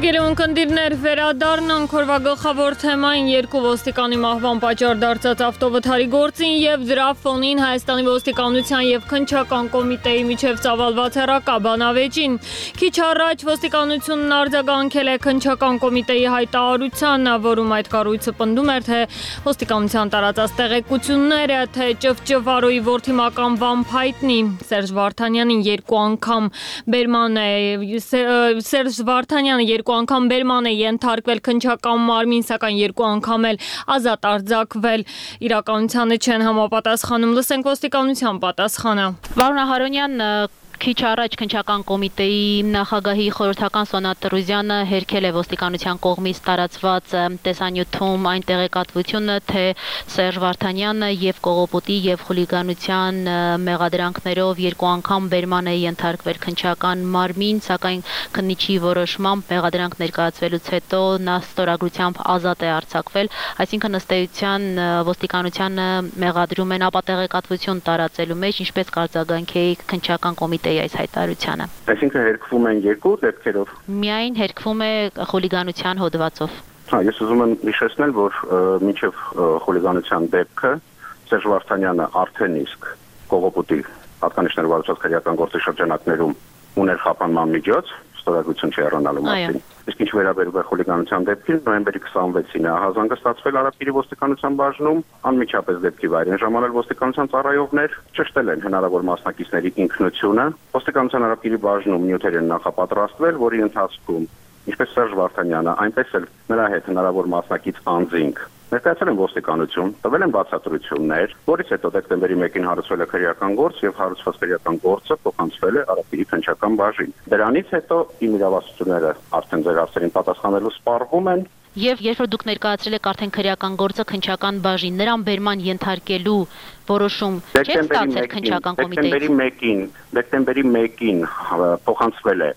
Հարգելի ունկնդիրներ, վերադառնանք օրվա գլխավոր թեմային երկու ոստիկանի մահվան պատճառ դարձած ավտովթարի գործին եւ դրա ֆոնին Հայաստանի ոստիկանության եւ քննչական կոմիտեի միջև ծավալված հեռակաբանավեճին։ Քիչ առաջ ոստիկանությունն արձագանքել է քննչական կոմիտեի հայտարարությանը, որում այդ կառույցը պնդում էր, թե ոստիկանության տարածած տեղեկությունները, թե ճվճվարոյի որդի մականվան փայտնի Սերժ Վարդանյանին երկու անգամ բերման է Սերժ Վարդանյանը երկու անգամ բերման է ենթարկվել քննչական մարմին, սակայն երկու անգամ էլ ազատ արձակվել, իրականությանը չեն համապատասխանում։ Լսենք ոստիկանության պատասխանը։ Վարուժ Հարոնյան, քիչ առաջ քննչական կոմիտեի նախագահի խորհրդական Սոնա Տրուզյանը հերքել է ոստիկանության կողմից տարածված տեսանյութում այն տեղեկատվությունը, թե Սերժ Վարդանյանը եւ կողոպուտի եւ խուլիգանության մեղադրանքներով երկու անգամ բերման է ենթարկվել քննչական մարմին, սակայն քննիչի որոշմամբ մեղադրանք ներկայացվելուց հետո նա ստորագրությամբ ազատ է արձակվել, այսինքն ըստ էության ոստիկանությանը մեղադրում են ապա տեղեկատվություն տարածելու մեջ, ինչպես կարձագանքեի քննչական կոմիտեի այս հայտարարությանը։ Այսինքն հերքվում են երկու դեպքերով։ Միայն հերքվում է խուլիգանության հոդվածով։ Ես ուզում եմ հիշեցնել, որ մինչև խուլիգանության դեպքը Սերժ Վարդանյանը արդեն իսկ կողոպուտի հատկանիշներ վարչած քրեական գործի շրջանակներում ուներ խափանման միջոց, ստորագրություն չհեռանալու մասին։ Իսկ ինչ վերաբերում է խուլիգանության դեպքին, նոյեմբերի 26-ին է ահազանգը ստացվել Արաբկիրի ոստիկանության բաժնում, անմիջապես դեպքի վայրին ժամանել ոստիկանության ծառայողներ, ճշտել են հնարավոր մասնակիցների ինքնությունը։ Ոստիկանության Արաբկիրի բաժնում նյութեր են նախապատրաստվել, որի ընթացքում ինչպես Սերժ Վարդանյանը, այնպես էլ նրա հետ հնարավոր մասնակից անձինք ներկայացել են ոստիկանություն, տվել են բացատրություններ, որից հետո դեկտեմբերի 1-ին հարուցվել է քրեական գործ եւ հարուցված քրեական գործը փոխանցվել է Արաբկիրի քննչական բաժին։ Դրանից հետո իմ իրավասությունները արդեն ձեր հարցերին պատասխանելու սպառվում են։ Եւ երբ որ դուք ներկայացրել եք արդեն քրեական գործը քննչական բաժին, նրան բերման ենթարկելու որոշում չէ՞ ստացել քննչական կոմիտեից։ Դեկտեմբերի 1-ին փոխանցվել է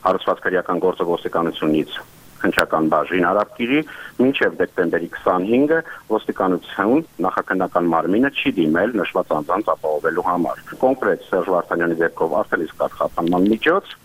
հարուցված քրեական գործը ոստիկանությունից քննչական բաժին Արաբկիրի, մինչև դեկտեմբերի 25-ը ոստիկանություն նախաքննական մարմինը չի դիմել նշված անձանց ապահովելու համար։ Կոնկրետ Սերժ Վարդանյանի ձեռքով արդեն իսկ կարգախանման միջոց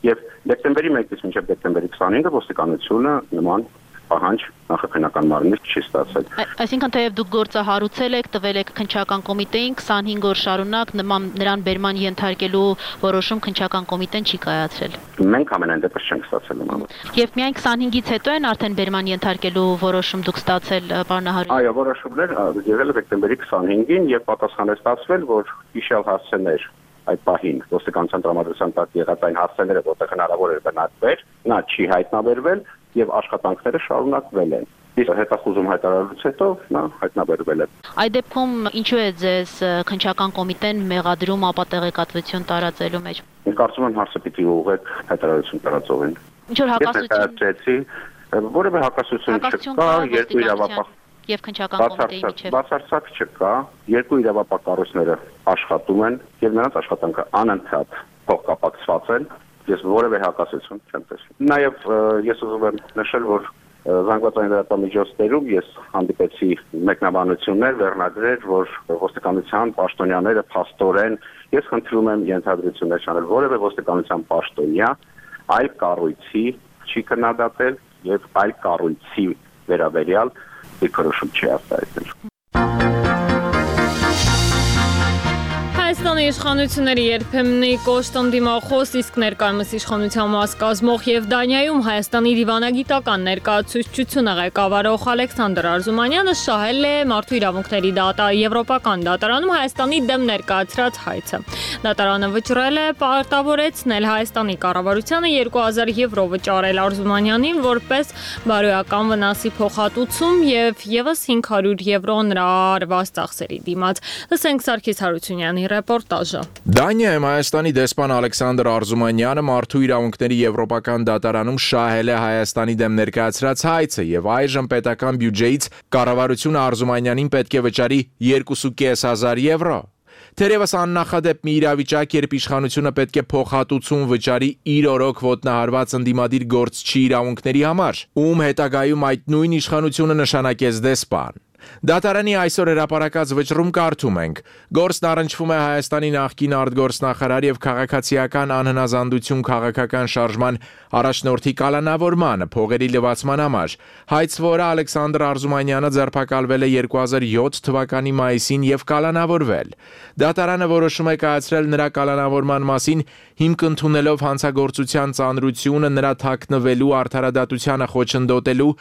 եւ դեկտեմբերի 1-ից մինչև դեկտեմբերի 25-ը ոստիկանությունը նման պահանջ նախաքննական մարմնից չի ստացել։ Այսինքն թեև դուք գործը հարուցել եք, տվել եք քննչական կոմիտեին 25 օր շարունակ նրան բերման ենթարկելու որոշում քննչական կոմիտեն չի կայացրել։ Մենք ամենայն դեպս չենք ստացել նման։ Եվ միայն 25-ից հետո են արդեն բերման ենթարկելու որոշում դուք ստացել, պարոն Ահարյան։ Այո, որոշումներ եղել է դեկտեմբերի 25-ին եւ պատասխան է ստացվել, որ հիշյալ հասցեներ այդ պահին ոստիկանության տրամադրության տակ եղած այն հասցեները, որտեղ հնարավոր էր բնակվել, նա չի հայտնաբերվել եւ աշխատանքները շարունակվել են։ Իսկ հետախուզում հայտարարելուց հետո նա հայտնաբերվել է։ Այդ դեպքում ինչու է ձեզ քննչական կոմիտեն մեղադրում ապատեղեկատվություն տարածելու մեջ։ Կարծում եմ հարցը պիտի ուղղեք հայտարարություն տարածողին։ Ինչ որ հակասություն։ Որևէ հակասություն չկա, երկու իրավապահ եւ քննչական կոմիտեի միջեւ բացարձակ չկա, երկու իրավապահ կառույցները աշխատում են եւ նրանց աշխատանքը անընդհատ փոխկապակցված են։ Ես որևէ հակասություն չեմ տեսնում։ Նաեւ ես ուզում եմ նշել, որ զանգվածային լրատվամիջոցներում ես հանդիպեցի մեկնաբանություններ, վերնագրեր, որ ոստիկանության պաշտոնյաները փաստորեն, ես խնդրում եմ ենթադրություններ չանել, որևէ ոստիկանության պաշտոնյա այլ կառույցի չի քննադատել եւ այլ կառույցի վերաբերյալ դիրքորոշում չի արտահայտել։ Հայաստանի իշխանությունների երբեմնի կոշտ ընդդիմախոս, իսկ ներկայումս իշխանության մաս կազմող եւ Դանիայում Հայաստանի դիվանագիտական ներկայացուցչությունը ղեկավարող Ալեքսանդր Արզումանյանը շահել է Մարդու իրավունքների Եվրոպական դատարանում Հայաստանի դեմ ներկայացրած հայցը։ Դատարանը վճռել է պարտավորեցնել Հայաստանի կառավարությանը 2000 եվրո վճարել Արզումանյանին որպես բարոյական վնասի փոխհատուցում եւ եւս 500 եվրո նրա արված ծախսերի դիմաց։ Լսենք Սարգիս Հարությունյանի ռեպորտաժը։ Դանիայում Հայաստանի դեսպան Ալեքսանդր Արզումանյանը Մարդու իրավունքների Եվրոպական դատարանում շահել է Հայաստանի դեմ ներկայացրած հայցը եւ այժմ պետական բյուջեից կառավարությունը Արզումանյանին պետք է վճարի 2.500 եվրո։ Թերևս աննախադեպ մի իրավիճակ, երբ իշխանությունը պետք է փոխհատուցում վճարի իր օրոք ոտնահարված ընդդիմադիր գործչի իրավունքների համար, ում հետագայում այդ նույն իշխանությունը նշանակեց դեսպան։ Դատարանի այսօր հրապարակած վճռում կարդում ենք. գործն առնչվում է Հայաստանի նախկին արտգործնախարար եւ քաղաքացիական անհնազանդություն քաղաքական շարժման առաջնորդի կալանավորմանը փողերի լվացման համար։ Հայցվորը Ալեքսանդր Արզումանյանը ձերբակալվել է 2007 թվականի մայիսին եւ կալանավորվել։ Դատարանը որոշում է կայացրել նրա կալանավորման մասին հիմք ընդունելով հանցագործության ծանրությունը, նրա թաքնվելու արդարադատությանը խոչընդոտելու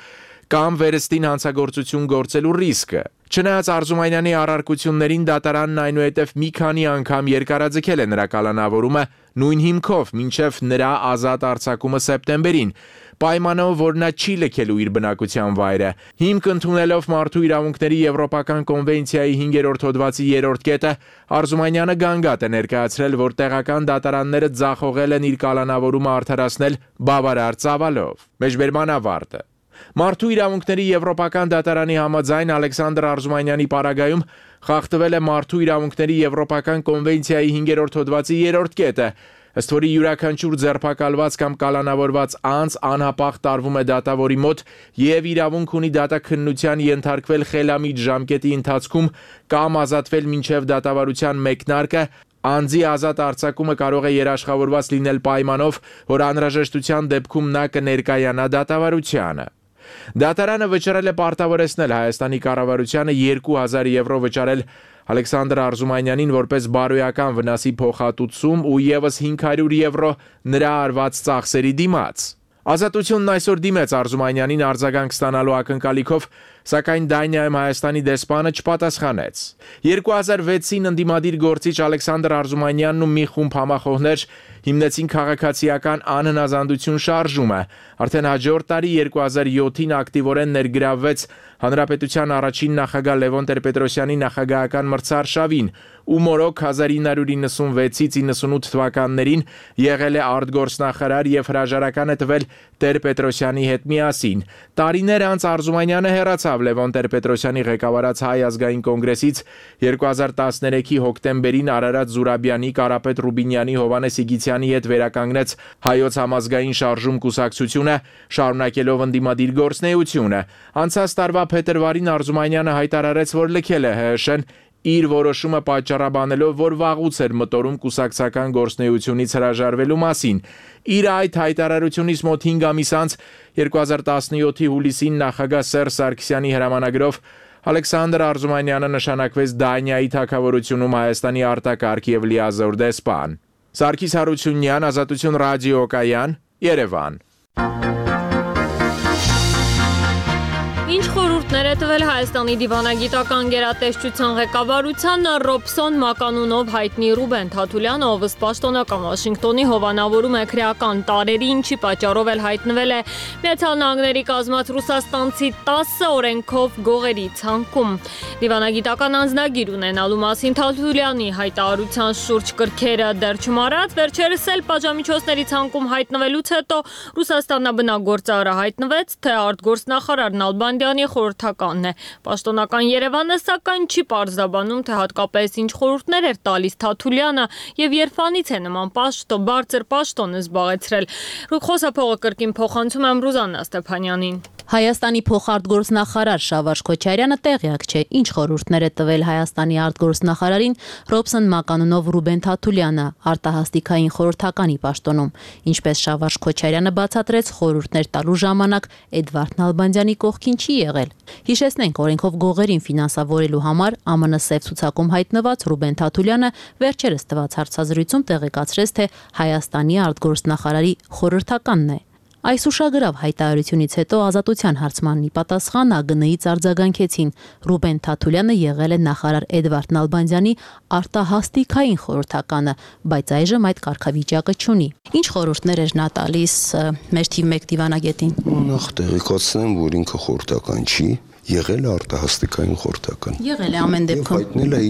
կամ վերստին հանցագործություն գործելու ռիսկը։ Չնայած Արզումանյանի առարկություններին դատարանն այնուհետև մի քանի անգամ երկարաձգել է նրա կալանավորումը նույն հիմքով մինչև նրա ազատ արձակումը սեպտեմբերին, պայմանով, որ նա չի լքելու իր բնակության վայրը։ Հիմք ընդունելով Մարդու իրավունքների Եվրոպական կոնվենցիայի 5-րդ հոդվածի 3-րդ կետը, Արզումանյանը գանգատ է ներկայացրել, որ տեղական դատարանները ձախողել են իր կալանավորումը արդարացնել բավարար ծավալով։ Մեջբերման ավարտը։ Մարդու իրավունքների Եվրոպական դատարանի համաձայն Ալեքսանդր Արզումանյանի պարագայում խախտվել է Մարդու իրավունքների Եվրոպական կոնվենցիայի 5-րդ հոդվածի 3-րդ կետը, ըստ որի յուրաքանչյուր ձերբակալված կամ կալանավորված անձ անհապաղ տարվում է դատավորի մոտ եւ իրավունք ունի դատաքննության ենթարկվել խելամիտ ժամկետի ընթացքում կամ ազատվել մինչև դատավարության մեկնարկը, անձի ազատ արձակումը կարող է երաշխավորված լինել պայմանով, որ անհրաժեշտության դեպքում նա կներկայանա դատավարությանը։ Դատարանը վճռել է պարտավորեցնել Հայաստանի կառավարությանը 2000 եվրո վճարել Ալեքսանդր Արզումանյանին որպես բարոյական վնասի փոխհատուցում ու եւս 500 եվրո նրա արված ծախսերի դիմաց։ Ազատությունն այսօր դիմեց Արզումանյանին արձագանք ստանալու ակնկալիքով, սակայն Դանիայում Հայաստանի դեսպանը չպատասխանեց։ 2006-ին ընդդիմադիր գործիչ Ալեքսանդր Արզումանյանն ու մի խումբ համախոհներ հիմնեցին քաղաքացիական անհնազանդություն շարժումը։ Արդեն հաջորդ տարի 2007-ին ակտիվորեն ներգրավվեց Հանրապետության առաջին նախագահ Լևոն Տեր-Պետրոսյանի նախագահական մրցարշավին, ում օրոք 1996-ից 98 թվականներին եղել է արտգործնախարար եւ հրաժարական է տվել Տեր-Պետրոսյանի հետ միասին։ Տարիներ անց Արզումանյանը հեռացավ անկախացավ Լևոն Տեր-Պետրոսյանի ղեկավարած Հայ ազգային կոնգրեսից 2013-ի հոկտեմբերին Արարատ Զուրաբյանի, Կարապետ Ռուբինյանի, Հովանես Իգիթյանի հետ վերականգնեց Հայոց համազգային շարժում կուսակցությունը, շարունակելով ընդդիմադիր գործունեությունը։ Անցած տարվա փետրվարին Արզումանյանը հայտարարեց, որ լքել է ՀՀՇ-ն, իր որոշումը պատճառաբանելով, որ վաղուց էր մտորում կուսակցական գործունեությունից հրաժարվելու մասին։ Իր այդ հայտարարությունից մոտ 5 ամիս անց 2017-ի հուլիսին նախագահ Սերժ Սարգսյանի հրամանագրով Ալեքսանդր Արզումանյանը նշանակվեց Դանիայի թագավորությունում Հայաստանի արտակարգ եւ լիազոր դեսպան։ Սարգիս Հարությունյան, Ազատություն ռադիոկայան, Երևան։ Ինչ խորհուրդներ է տվել Հայաստանի դիվանագիտական գերատեսչության ղեկավարությանը Ռոբսոն Մականունով հայտնի Ռուբեն Թաթուլյանը, ով ըստ պաշտոնական Վաշինգտոնի հովանավորում է քրեական տարերի, ինչի պատճառով էլ հայտնվել է Միացյալ Նահանգների կազմած ռուսաստանցի 10 օրենքով գողերի ցանկում։ Դիվանագիտական անձնագիր ունենալու մասին Թաթուլյանի հայտարարության շուրջ կրքերը դեռ չմարած, վերջերս էլ պատժամիջոցների ցանկում հայտնվելուց հետո Ռուսաստանաբնագործարը հայտնվեց, թե արտգործնախարար Նալբանդյանի խորհրդականն է։ Պաշտոնական Երևանը սակայն չի պարզաբանում, թե հատկապես ինչ խորհուրդներ էր տալիս Թաթուլյանը եւ երբանից է նման բարձր պաշտոն զբաղեցրել։ Խոսափողը կրկին փոխանցում եմ Ռուզաննա Ստեփանյանին։ Հայաստանի փոխարտգործնախարար Շավարժ Քոչարյանը տեղյակ չէ, ինչ խորհուրդներ է տվել Հայաստանի արտգործնախարարին Ռոբսոն Մականունով Ռուբեն Թաթուլյանը արտահասթիկային խորհրդականի պաշտոնում։ Ինչպես Շավարժ Քոչարյանը բացատրեց, խորհուրդներ տալու ժամանակ Էդվարդ Նալբանդյանի կողքին չի եղել։ Հիշեցնենք, օրենքով գողերին ֆինանսավորելու համար ԱՄՆ սև ցուցակում հայտնված Ռուբեն Թաթուլյանը վերջերս տված հարցազրույցում տեղեկացրեց, թե Հայաստանի արտգործնախարարի խորհրդականն է։ Այս ուշագրավ հայտարարությունից հետո Ազատության հարցմանի պատասխան ԱԳՆ-ից արձագանքեցին։ Ռուբեն Թաթուլյանը եղել է նախարար Էդվարդ Նալբանդյանի արտահասթիկային խորհրդականը, բայց այժմ այդ կարգավիճակը չունի։ Ինչ խորհուրդներ էր նա տալիս մեր թիվ 1 դիվանագետին։ Նախ տեղեկացնեմ, որ ինքը խորհրդական չի, եղել է արտահասթիկային խորհրդական։ Եղել է ամեն դեպքում։ Հայտնել է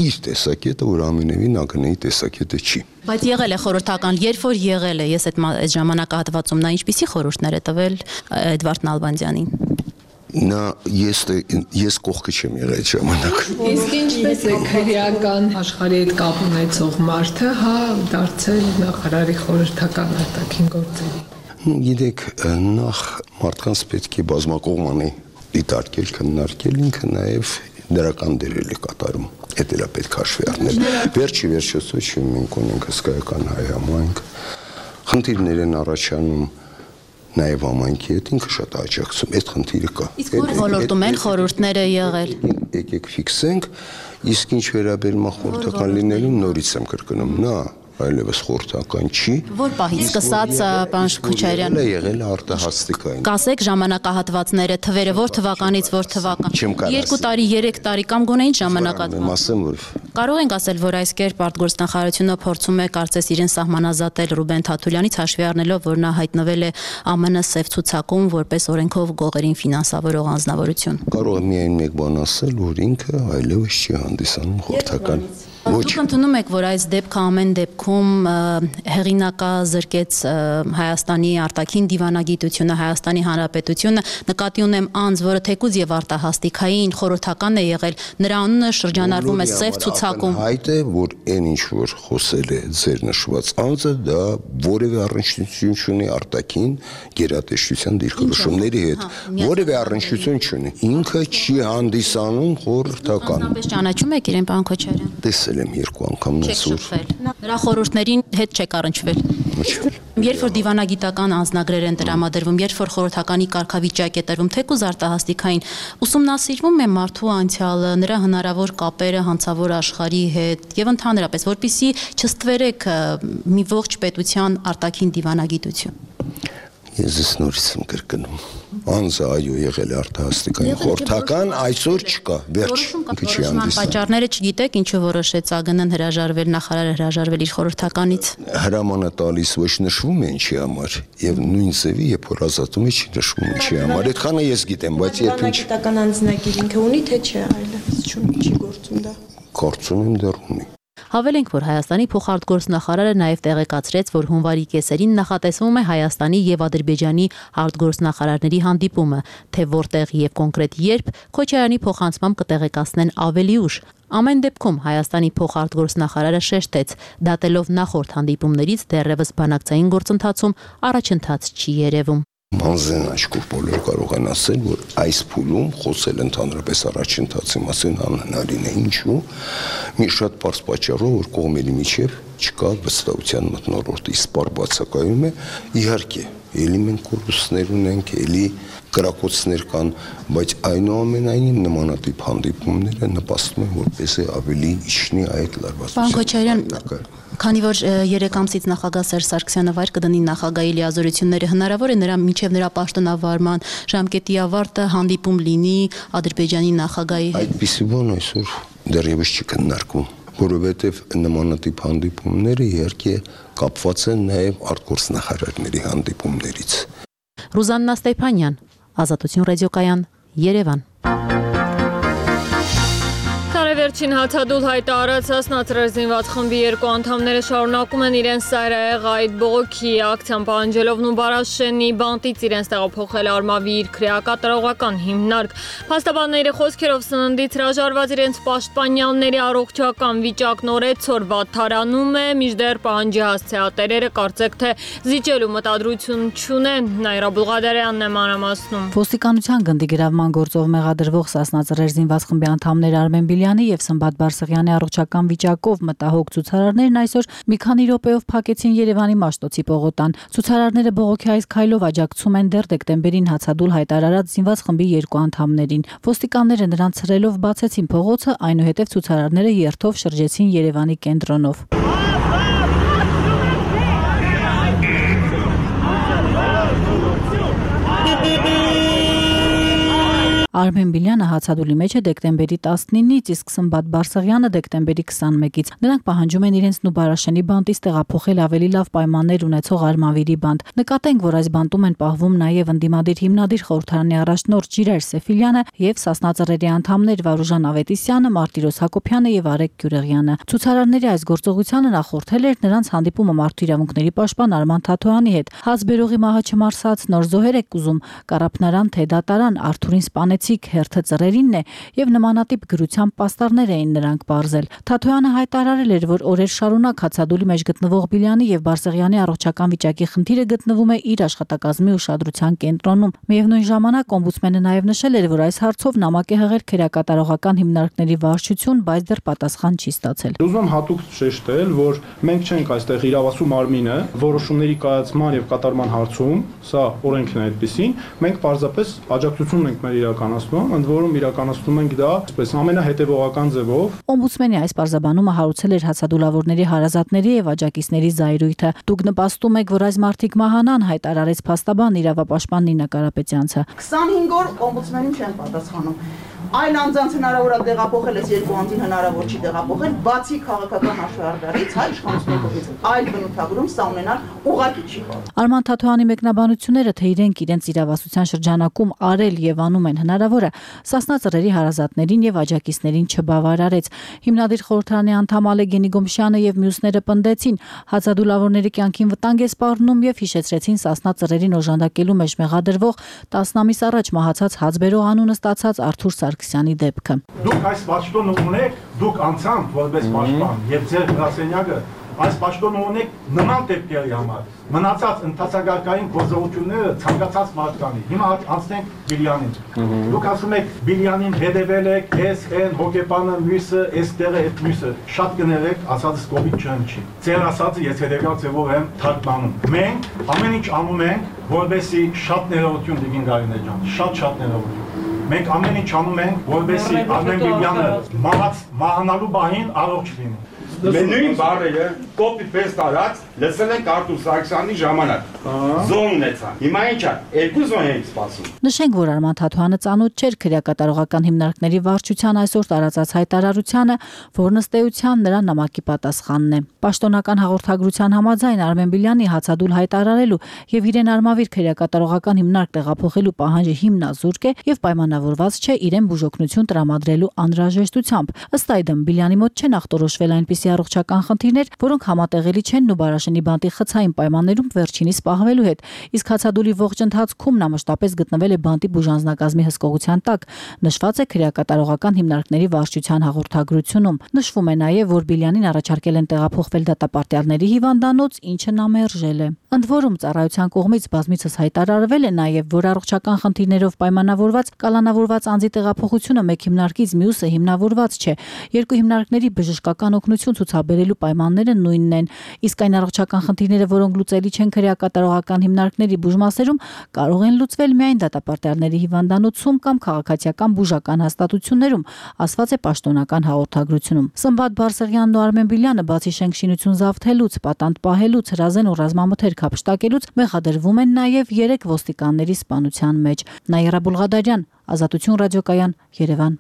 իր տեսակետը, որ ամենևին ԱԳՆ-ի տեսակետը չի։ Բայց եղել է խորհրդական, երբ որ եղել է, ես այդ ժամանակահատվածում նա ինչպիսի խորհուրդներ է տվել Էդվարդ Նալբանդյանին։ Նա ես կողքը չեմ եղել այդ ժամանակ։ Իսկ ինչպես է քրեական աշխարհի հետ կապ ունեցող մարդը, դարձել նախարարի խորհրդական արտաքին գործերի։ Գիտեք, նախ մարդկանց պետք է բազմակողմանի դիտարկել, քննարկել, ինքը նաև դրական դերել է կատարում։ Այդ էլ է պետք հաշվի առնել։ Վերջի վերջից մենք ունենք հսկայական հայ համայնք, խնդիրներ են առաջանում նաև համայնքի հետ, ինքը շատ աջակցում, այդ խնդիրը կա։ Իսկ որ ոլորտում են խորհուրդները եղել։ Եկեք ֆիքսենք, իսկ ինչ վերաբերում է խորհրդական լինելուն, նորից եմ կրկնում, նա այլևս խորհրդական չի։ Որ պահից սկսած պարոն Քոչարյան եղել է արտահասթիկային։ Կասեք ժամանակահատվածները, թվերը որ թվականից որ թվական։ 2 տարի, 3 տարի կամ գոնե ինչ ժամանակահատված։ Կարող ենք ասել, որ այս կերպ արտգործնախարարությունը փորձում է կարծես իրեն սահմանազատել Ռուբեն Թաթուլյանից, հաշվի առնելով, որ նա հայտնվել է ԱՄՆ սև ցուցակում որպես օրենքով գողերին ֆինանսավորող անձնավորություն։ Կարող եմ միայն մեկ բան ասել, որ ինքը այլևս չի հանդիսանում խորհրդական։ Դուք ընդունում եք, որ այս դեպքը ամեն դեպքում հեղինակազրկեց Հայաստանի արտաքին դիվանագիտությունը, Հայաստանի Հանրապետությունը, նկատի ունեմ անձ, որը թեկուզ եւ արտահասթիկային խորհրդական է եղել, նրա անունը շրջանառվում է սև ցուցակում։ Այդ է, որ այն ինչ որ խոսել է ձեր նշված անձը, դա որևէ առնչություն չունի արտաքին գերատեսչության դիրքորոշումների հետ, որևէ առնչություն չունի։ Ինքը չի հանդիսանում խորհրդական։ Ապես ճանաչում եք իրեն, պարոն Քոչարյան։ Տեսել եմ 2 անգամ նսուր։ Նրա խորհուրդներին հետ չեք առնչվել։ Երբ որ դիվանագիտական անձնագրեր են տրամադրվում, երբ որ խորհրդականի կարգավիճակ է տրվում, թեկուզ արտահասթիկային, ուսումնասիրվում է մարդու անցյալը, նրա հնարավոր կապերը հանցավոր աշխարհի հետ եւ ընդհանրապես, որpիսի չստվերեք մի ողջ պետության արտաքին դիվանագիտություն։ Ես նորից եմ կրկնում։ Անձը այո եղել է արտահասթիկային խորհրդական, այսօր չկա, վերջ։ Որոշման պատճառները չգիտեք, ինչու որոշեց ԱԳՆ-ն հրաժարվել, նախարարը հրաժարվել իր խորհրդականից։ Հրամանը տալիս ոչ նշվում է ինչի համար, եւ նույն ձևի երբ որ ազատում է չի նշվում ինչի համար։ Այդքանը ես գիտեմ, բայց երբ ինչ դիվանագիտական անձնագիր ինքը ունի թե չէ, այլևս չի գործում դա։ Գործում եմ դեռ ունի։ Հավելենք, որ Հայաստանի փոխարտգործնախարարը նաև տեղեկացրեց, որ հունվարի կեսերին նախատեսվում է Հայաստանի եւ Ադրբեջանի արտգործնախարարների հանդիպումը, թե որտեղ եւ կոնկրետ երբ Քոչարյանի փոխանցմամբ կտեղեկացնեն ավելի ուշ։ Ամեն դեպքում Հայաստանի փոխարտգործնախարարը շեշտեց, դատելով նախորդ հանդիպումներից դեռևս բանակցային գործընթացում առաջընթաց չի երևում։ Մանզեն աչքով բոլորը կարող են ասել, որ այս փուլում խոսել ընդհանրապես առաջընթացի մասին անհնարին է, ինչու մի շատ պարզ պատճառով, որ կողմերի միջև չկա վստահության մթնոլորտ, իսպար բացակայում է, իհարկե, էլի մենք կորուստներ ունենք, էլի կրակոցներ կան, բայց այնուամենայնիվ նմանատիպ հանդիպումները նպաստում են, որպեսզի ավելի իջնի այդ լարվածության։ Պարոն Քոչարյան, քանի որ 3 ամսից նախագահ Սերժ Սարգսյանը վայր կդնի նախագահի լիազորությունները, հնարավոր է նրա մինչև նրա պաշտոնավարման ժամկետի ավարտը հանդիպում լինի Ադրբեջանի նախագահի հետ։ Այդպիսի բան այսօր դեռևս չի քննարկվում, որովհետև նմանատիպ հանդիպումները իհարկե կապված են նաև արտգործնախարարների հանդիպումներից։ Ռուզաննա Ստեփանյան, Ազատություն ռադիոկայան, Երևան։ Վերջին հացադուլ հայտարարած նացրազինված խմբի 2 անդամները շարունակում են իրենց սայրահեղ այդ բողոքի ակցիան պահանջելով Նուբարաշենի բանտից իրենց տեղափոխել Արմավի իր քրեակատարողական հիմնարկ։ Փաստաբանների խոսքերով սննդից հրաժարված իրենց պաշտպանյանների առողջական վիճակն օրեցօր վատթարանում է, մինչդեռ պահանջի հասցեատերերը կարծեք թե զիջելու մտադրություն չունեն։ Նաիրա Բուլղադարյանն է մանրամասնում։ Ոստիկանության գնդի գրավման գործով մեղադրվող Սասնա զինված խմբի անդամներ Արմեն Բիլյանի եւ Սմբատ Բարսեղյանի առողջական վիճակով մտահոգ ցուցարարներն այսօր մի քանի րոպեով փակեցին Երևանի Մաշտոցի պողոտան։ Ցուցարարները բողոքի այս քայլով աջակցում են դեռ դեկտեմբերին հացադուլ հայտարարած զինված խմբի 2 անդամներին։ Ոստիկանները նրանց ցրելով բացեցին փողոցը, այնուհետև ցուցարարները երթով շրջեցին Երևանի կենտրոնով։ Արմեն Բիլյանը հացադուլի մեջ է դեկտեմբերի 19-ից, իսկ Սմբատ Բարսեղյանը դեկտեմբերի 21-ից։ Նրանք պահանջում են իրենց Նուբարաշենի բանտից տեղափոխել ավելի լավ պայմաններ ունեցող Արմավիրի բանտ։ Նկատենք, որ այս բանտում են պահվում նաև ընդդիմադիր հիմնադիր խորհրդարանի առաջնորդ Ժիրայր Սեֆիլյանը եւ Սասնա ծռերի անդամներ Վարուժան Ավետիսյանը, Մարտիրոս Հակոբյանը եւ Արեգ Գյուրեղյանը։ Ցուցարարների այս գործողությանը նախորդել էր նրանց հանդիպումը մարդու իրավունքների պաշտպան Արման Թաթոյանի հետ։ Հացբերողի մահը չմարսած նոր զոհեր եք ուզում, Կարապնարան թե դատարան, Արթուրին սպանեցիք, հերթը ծռերինն է եւ նմանատիպ գրությամբ պաստառներ էին նրանք բարձել։ Թաթոյանը հայտարարել էր, որ օրեր շարունակ հացադուլի մեջ գտնվող Բիլյանի եւ Բարսեղյանի առողջական վիճակի խնդիրը գտնվում է իր աշխատակազմի ուշադրության կենտրոնում։ Միևնույն ժամանակ օմբուդսմենը նաեւ նշել էր, որ այս հարցով նամակ է հղել քերակատարողական հիմնարկների վարչություն, բայց դեռ պատասխան չի ստացել։ Ուզում եմ հատուկ շեշտել, որ մենք չենք այստեղ իրավասու մարմինը որոշումների կայացման եւ կատարման հարցում, սա օրենքն է այդպեսին, մենք պարզապես աջակցություն ենք մեր իրականացնում, ընդ որում իրականացնում ենք դա այսպես ամենահետևողական ձևով։ Օմբուդսմենի այս պարզաբանումը հարուցել էր հացադուլավորների հարազատների եւ աջակիցների զայրույթը։ Դուք նպաստում եք, որ այս մարդիկ մահանան, հայտարարեց փաստաբան իրավապաշտպան Նինա Կարապետյանցը։ 25 օր օմբուդսմենին չեն պատասխանում։ Այլ անձանց հնարավոր է տեղափոխել, այս 2 անձին հնարավոր չի տեղափոխել, բացի քաղաքական հաշվարկներից, հայ իշխանությունների կողմից այլ բնութագրում սա ունենալ ուղղակի չի կարող։ Արման Թաթոյանի մեկնաբանությունները, թե իրենք իրենց իրավասության շրջանակում արել եւ անում են հնարավորը, Սասնա ծռերի հարազատներին եւ աջակիցներին չբավարարեց։ Հիմնադիր խորհրդարանի անդամ Ալեգենի Գոմշյանը եւ մյուսները պնդեցին, հացադուլավորների կյանքին վտանգ է սպառնում եւ հիշեցրեցին Սասնա ծռերին օժանդակելու մեջ մեղադրվող 10 ամիս առաջ մահացած հացբերող անունը ստացած Արթուր Սարգսյանի դեպքը։ Դուք այս պաշտոնը ունեք, դուք անցանք որպես պաշտպան եւ ձեր գրասենյակը այս պաշտոնը ունեք նման դեպքերի համար։ Մնացած ընթացագարկային գործողությունները ցանկացած մարդկանի։ Հիմա անցնենք Բիլյանին։ Դուք ասում եք Բիլյանին հետևել եք, էս այն հոգեպանը մյուսը, էստեղը այդ մյուսը։ Շատ կներեք, ասածս կոպիտ չի։ Ձեր ասածը ես հետևյալ ձևով եմ թարգմանում։ Մենք ամեն ինչ անում ենք, որովհետեւ շատ ներողություն դիգին Գարինե ջան, շատ ներողություն։ Մենք ամեն ինչ անում ենք, որովհետեւ Արմեն Բիլյանը մահանալու բանին առողջ լինի։ Նույն բառերը կոպի-պեստ արած լսել ենք Արթուր Սարգսյանի ժամանակ։ Զոն ունեցան։ Հիմա ինչ է, 2 զոն ենք սպասում։ Նշենք, որ Արման Թաթոյանը ծանոթ չէր քրեակատարողական հիմնարկների վարչության այսօր տարածած հայտարարությանը, որն ըստ էության նրա նամակի պատասխանն է։ Պաշտոնական հաղորդագրության համաձայն Արմեն Բիլյանի հացադուլ հայտարարելու եւ իրեն Արմավիր քրեակատարողական հիմնարկ տեղափոխելու պահանջը հիմնազուրկ է եւ պայմանավորված չէ իրեն բուժօգնություն տրամադրելու անհրաժեշտությամբ։ Ըստ այդմ Բիլյանի մոտ չեն ախտորոշվել այնպիսի բազի առողջական խնդիրներ, որոնք համատեղելի չեն Նուբարաշենի բանտի խցային պայմաններում վերջինիս պահվելու հետ։ Իսկ հացադուլի ողջ ընթացքում նա մշտապես գտնվել է բանտի բուժանձնակազմի հսկողության տակ, նշված է քրեակատարողական հիմնարկների վարչության հաղորդագրությունում։ Նշվում է նաև, որ Բիլյանին առաջարկել են տեղափոխվել դատապարտյալների հիվանդանոց, ինչը նա մերժել է։ Ընդ որում ծառայության կողմից բազմիցս հայտարարվել է նաև, որ առողջական խնդիրներով պայմանավորված կալանավորված անձի տեղափոխությունը մեկ հիմնարկից մյուսը հիմնավորված չէ։ Երկու հիմնարկների բժշկական օգնություն ցուցաբերելու պայմանները նույնն են, իսկ այն առողջական խնդիրները, որոնք լուծելի չեն քրեակատարողական հիմնարկների բուժմասերում, կարող են լուծվել միայն դատապարտյալների հիվանդանոցում կամ քաղաքացիական բուժական հաստատություններում, ասված է պաշտոնական հաղորդագրությունում։ Սմբատ Բարսեղյանն ու Արմեն Բիլյանը բացի շենքշինություն զավթելուց, պատանդ պահելուց, հրազեն ու ռազմամթերք հափշտակելուց մեղադրվում են նաև 3 ոստիկանների սպանության մեջ։ Նաիրա Բուլղադարյան, Ազատություն ռադիոկայան, Երևան։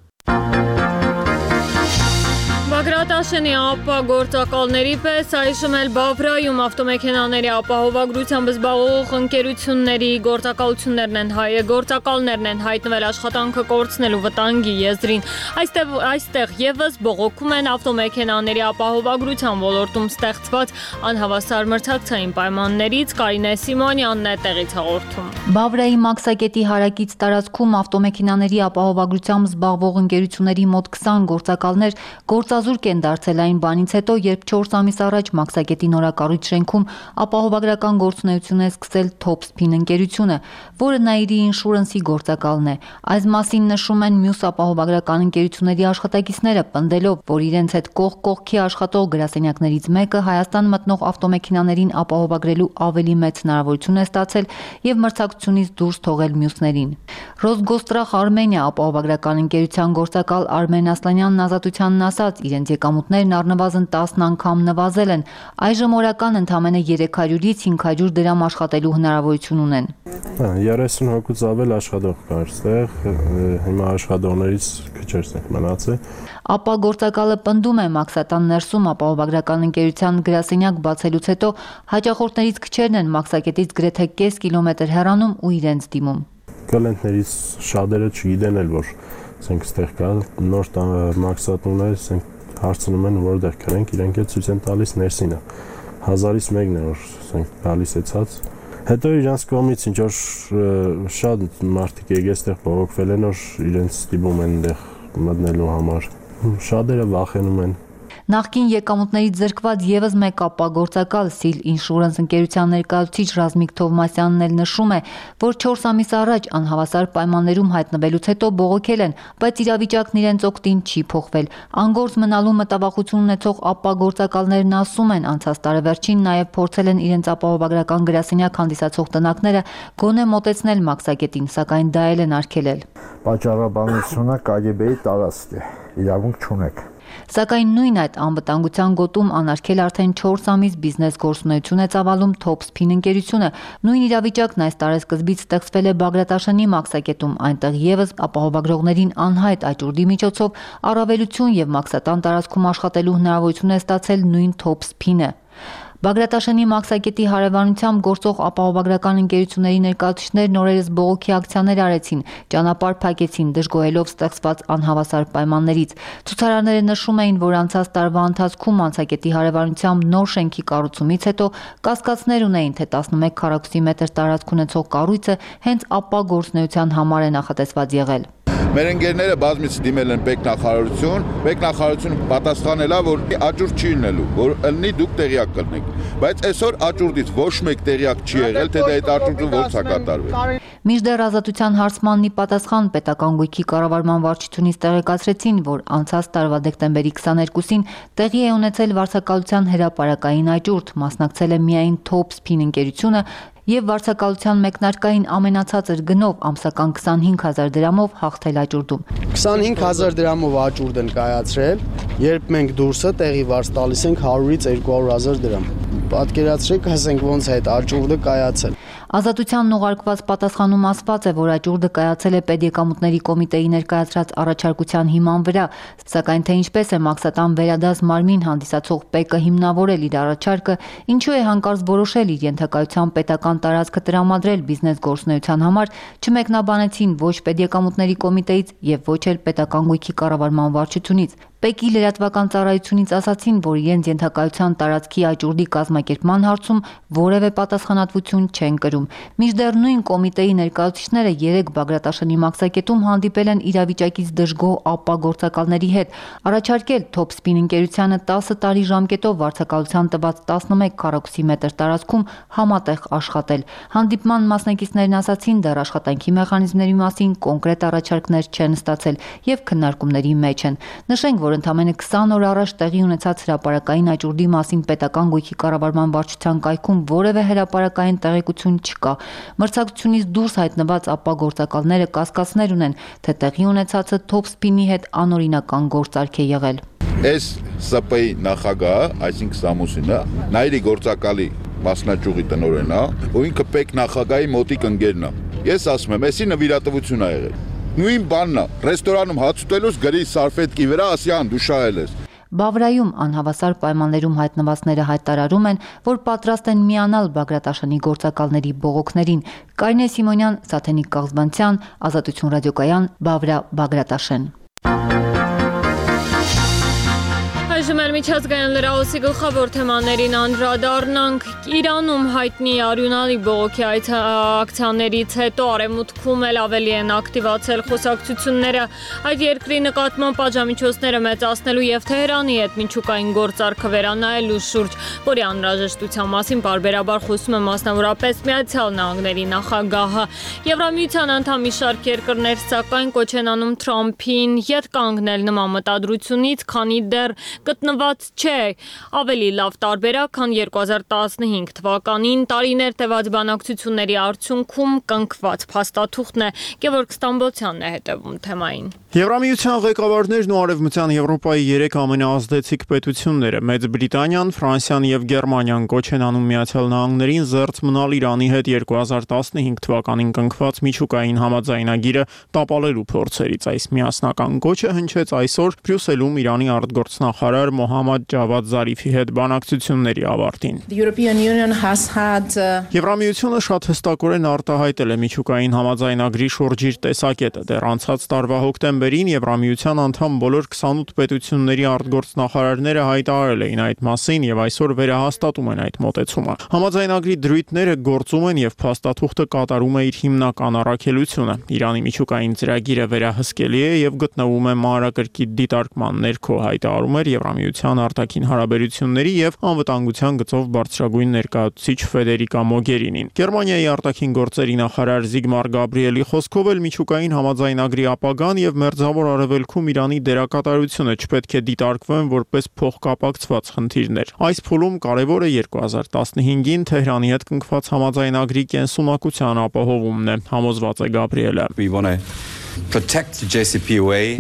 Բագրատաշենի ապագործակալների պես այժմ էլ Բավրայում ավտոմեքենաների ապահովագրությամբ զբաղվող ընկերությունների գործակալություններն են հայտնվել աշխատանքը կորցնելու վտանգի եզրին։ Այստեղ եւս բողոքում են ավտոմեքենաների ապահովագրության ոլորտում ստեղծված անհավասար մրցակցային պայմաններից։ Կարինե Սիմոնյանն է տեղից հաղորդում։ Բավրայի մաքսակետի հարակից տարածքում ավտոմեքենաների ապահովագրությամբ զբաղվող ընկերությունների մոտ 20 գործակալներ գործազուրկ են դարձել այն բանից հետո, երբ 4 ամիս առաջ Մաքսակետի նորակառույց շենքում ապահովագրական գործունեություն է սկսել Topspin ընկերությունը, որը Nairi Insurance-ի գործակալն է։ Այս մասին նշում են մյուս ապահովագրական ընկերությունների աշխատակիցները, պնդելով, որ իրենց հետ կողք կողքի աշխատող գրասենյակներից մեկը Հայաստան մտնող ավտոմեքենաներին ապահովագրելու ավելի մեծ հնարավորություն է ստացել եւ մրցակցությունից դուրս թողել մյուսներին։ Ռոսգոստրախ Արմենիա ապահովագրական ընկերության գործակալ Արմեն Ասլանյանն Ազատությանն ասաց, իրենց եկամուտներն առնվազն 10 անգամ նվազել են։ Այժմ օրական ընդամենը 300-ից 500 դրամ աշխատելու հնարավորություն ունեն։ 30 հոգուց ավել աշխատող կար այստեղ, հիմա աշխատողներից քիչ ենք մնացել։ Ապա գործակալը պնդում է Մաքսատան ներսում ապահովագրական ընկերության գրասենյակ բացելուց հետո հաճախորդներից քչերն են Մաքսակետից գրեթե կես կիլոմետր հեռանում ու իրենց դիմում։ Կլենտներից շատերը չգիտեն էլ, որ ասենք ստեղ կա նոր մաքսատուններ, ասենք հարցնում են որտեղ կրենք, իրենք էլ ցույց են տալիս ներսինը 1000-ից մեկն է որ ասենք գալիս է ցած։ Հետո իրանց կողմից ինչ որ շատ մարդիկ եկել այստեղ բողոքվել են, որ իրենց ստիպում են այդտեղ մտնելու համար։ Շատերը վախենում են։ Նախկին եկամուտներից զրկված եւս մեկ ապագործակալ Seal Insurance ընկերության ներկայացուցիչ Ռազմիկ Թովմասյանն էլ նշում է, որ 4 ամիս առաջ անհավասար պայմաններում հայտնվելուց հետո բողոքել են, բայց իրավիճակն իրենց օգտին չի փոխվել։ Անգործ մնալու մտավախություն ունեցող ապագործակալներն ասում են, անցած տարեվերջին նաեւ փորձել են իրենց ապահովագրական գրասենյակ հանդիսացող տնակները գոնե մոտեցնել Մաքսակետին, սակայն դա էլ են արգելել։ Պատճառաբանությունը KGB-ի տարածք է, իրավունք չունեք։ Սակայն նույն այդ անվտանգության գոտում անարգել արդեն 4 ամիս բիզնես գործունեություն է ծավալում Topspin ընկերությունը։ Նույն իրավիճակն այս տարեսկզբից ստեղծվել է Բագրատաշենի Մաքսակետում, այնտեղ եւս ապահովագրողներին անհայտ աճուրդի միջոցով առավելություն եւ Մաքսատան տարածքում աշխատելու հնարավորություն է ստացել նույն Topspin-ը։ Բագրատաշենի Մաքսակետի հարևանությամբ գործող ապահովագրական ընկերությունների ներկայացուցիչներն օրերս բողոքի ակցիաներ արեցին, ճանապարհ փակեցին, դժգոհելով ստեղծված անհավասար պայմաններից։ Ցուցարարները նշում էին, որ անցած տարվա ընթացքում Մաքսակետի հարևանությամբ նոր շենքի կառուցումից հետո կասկածներ ունեին, թե 11 քառակուսի մետր տարածք ունեցող կառույցը հենց ապագործունեության համար է նախատեսված եղել։ Մեր ընկերները բազմից դիմել են Պետնախարարությունը պատասխանել է, որ աճուրդ չի լինելու, որ ըլնի դուք տեղյակ կլինեք, բայց այսօր աճուրդից ոչ մեկ տեղյակ չի եղել, թե դա այդ աճուրդը ո՞նց է կատարվել։ Մինչդեռ Ազատության հարցմանն ի պատասխան պետական գույքի կառավարման վարչությունից տեղեկացրեցին, որ անցած տարվա դեկտեմբերի 22-ին տեղի է ունեցել վարձակալության հրապարակային աճուրդ, մասնակցել է միայն Topspin ընկերությունը եւ վարձակալության մեկնարկային ամենացածր գնով ամսական 25000 դրամով հաղթել աճուրդում։ 25000 դրամով աճուրդ են կայացրել, երբ մենք դուրսը տեղի վարձ տալիս ենք 100-ից 200000 դրամ։ Պատկերացրեք, ասենք ոնց է այդ աճուրդը կայացել։ Ազատությանն ուղարկված պատասխանում ասված է, որ աճուրդը կայացել է Պետեկամուտների կոմիտեի ներկայացրած առաջարկության հիման վրա, սակայն թե ինչպես է Մաքսատան վերադաս մարմին հանդիսացող ՊԵԿ-ը հիմնավորել իր առաջարկը, ինչու է հանկարծ որոշել իր ենթակայության պետական տարածքը տրամադրել բիզնես գործունեության համար, չմեկնաբանեցին ոչ Պետեկամուտների կոմիտեից եւ ոչ էլ պետական գույքի կառավարման վարչությունից։ ՊԵԿ-ի լրատվական ծառայությունից ասացին, որ իրենց ենթակայության տարածքի աճուրդի կազմակերպման հարցում որևէ պատասխանատվություն չեն կրում։ Մինչդեռ նույն կոմիտեի ներկայացուցիչները 3 Բագրատաշենի մաքսակետում հանդիպել են իրավիճակից դժգոհ ԱՊՊԱ գործակալների հետ, առաջարկել Topspin ընկերությանը 10 տարի ժամկետով վարձակալության տված 11 քառակուսի մետր տարածքում համատեղ աշխատել։ Հանդիպման մասնակիցներն ասացին, դեռ աշխատանքի մեխանիզմների մասին կոնկրետ առաջարկներ չեն ստացել եւ քննարկումների մեջ են։ Նշենք, որ ընդամենը 20 օր առաջ տեղի ունեցած հրապարակային աճուրդի մասին պետական գույքի կառավարման վարչության կայքում որևէ հրապարակային տեղեկություն չկա։ Մրցակցությունից դուրս հայտնված ԱՊՊԱ գործակալները կասկածներ ունեն, թե տեղի ունեցածը Topspin-ի հետ անօրինական գործարք է եղել։ Այս ՍՊ-ի նախագահը, այսինքն Սամուսինը, Նայիրի գործակալի մասնաճյուղի տնօրենն է, ու ինքը ՊԵԿ նախագահի մոտիկ ընկերն է։ Ես ասում եմ, էսի նվիրատվություն է եղել։ Նույն բանն է, ռեստորանում հաց ուտելուց գրի սարֆետկի վրա ասյան դու շահել ես։ Բավրայում անհավասար պայմաններում հայտնվածները հայտարարում են, որ պատրաստ են միանալ Բագրատաշենի գործակալների բողոքներին։ Կարինե Սիմոնյան, Սաթենիկ Կաղզբանցյան, Ազատություն ռադիոկայան, Բավրա, Բագրատաշեն։ Այժմ էլ միջազգային լրահոսի գլխավոր թեմաներին անդրադառնանք։ Իրանում հայտնի արյունալի բողոքի ակցիաներից հետո Արևմուտքում էլ ավելի են ակտիվացել խոսակցությունները այդ երկրի նկատմամբ պատժամիջոցները մեծացնելու եւ Թեհրանի հետ միջուկային գործարքը վերանայելու շուրջ, որի անհրաժեշտության մասին պարբերաբար խոսում է մասնավորապես Միացյալ Նահանգների նախագահը։ Եվրամիության անդամ մի շարք երկրներ սակայն կոչ են անում Թրամփին ետ կանգնել նման մտադրությունից, քանի դեռ գտնված չէ ավելի լավ տարբերակ, քան 2015 թվականին տարիներ տևած բանակցությունների արդյունքում կնքված փաստաթուղթն է։ Գևորգ Ստամբոլցյանն է հետևում թեմային։ Եվրամիության ղեկավարներն ու Արևմտյան Եվրոպայի 3 ամենաազդեցիկ պետությունները՝ Մեծ Բրիտանիան, Ֆրանսիան եւ Գերմանիան կոչ են անում Միացյալ Նահանգներին զերծ մնալ Իրանի հետ 2015 թվականին կնքված միջուկային համաձայնագիրը տապալելու փորձերից։ Այս միասնական կոչը հնչեց այսօր Բրյուսելում Իրանի արտգործնախարար Մոհամմադ Ջավադ Զարիֆի հետ բանակցությունների ավարտին։ Եվրամիությունը շատ հստակորեն արտահայտել է միջուկային համաձայնագրի շուրջ իր տեսակետը։ Դեռ անցած տարվա հոկտեմբերին Եվրամիության անդամ բոլոր 28 պետությունների արտգործնախարարները հայտարարել էին այդ մասին եւ այսօր վերահաստատում են այդ մոտեցումը։ Համաձայնագրի դրույթները գործում են եւ փաստաթուղթը կատարում է իր հիմնական առաքելությունը։ Իրանի միջուկային ծրագիրը վերահսկելի է եւ գտնվում է մանրակրկիտ դիտարկման ներքո, հայտարարում էր Եվրամիության արտաքին հարաբերությունների եւ անվտանգության գծով բարձրագույն ներկայացուցիչ Ֆեդերիկա Մոգերինին։ Գերմանիայի արտաքին գործերի նախարար Զիգմար Գաբրիելի խոսքով էլ միջուկային համաձայնագրի ապագան եւ Մերձավոր Արևելքում Իրանի դերակատարությունը չպետք է դիտարկվեն որպես փոխկապակցված խնդիրներ։ Այս փուլում կարևորը 2015-ին Թեհրանի հետ կնքված համաձայնագրի կենսունակության ապահովումն է, համոզված է Գաբրիելը։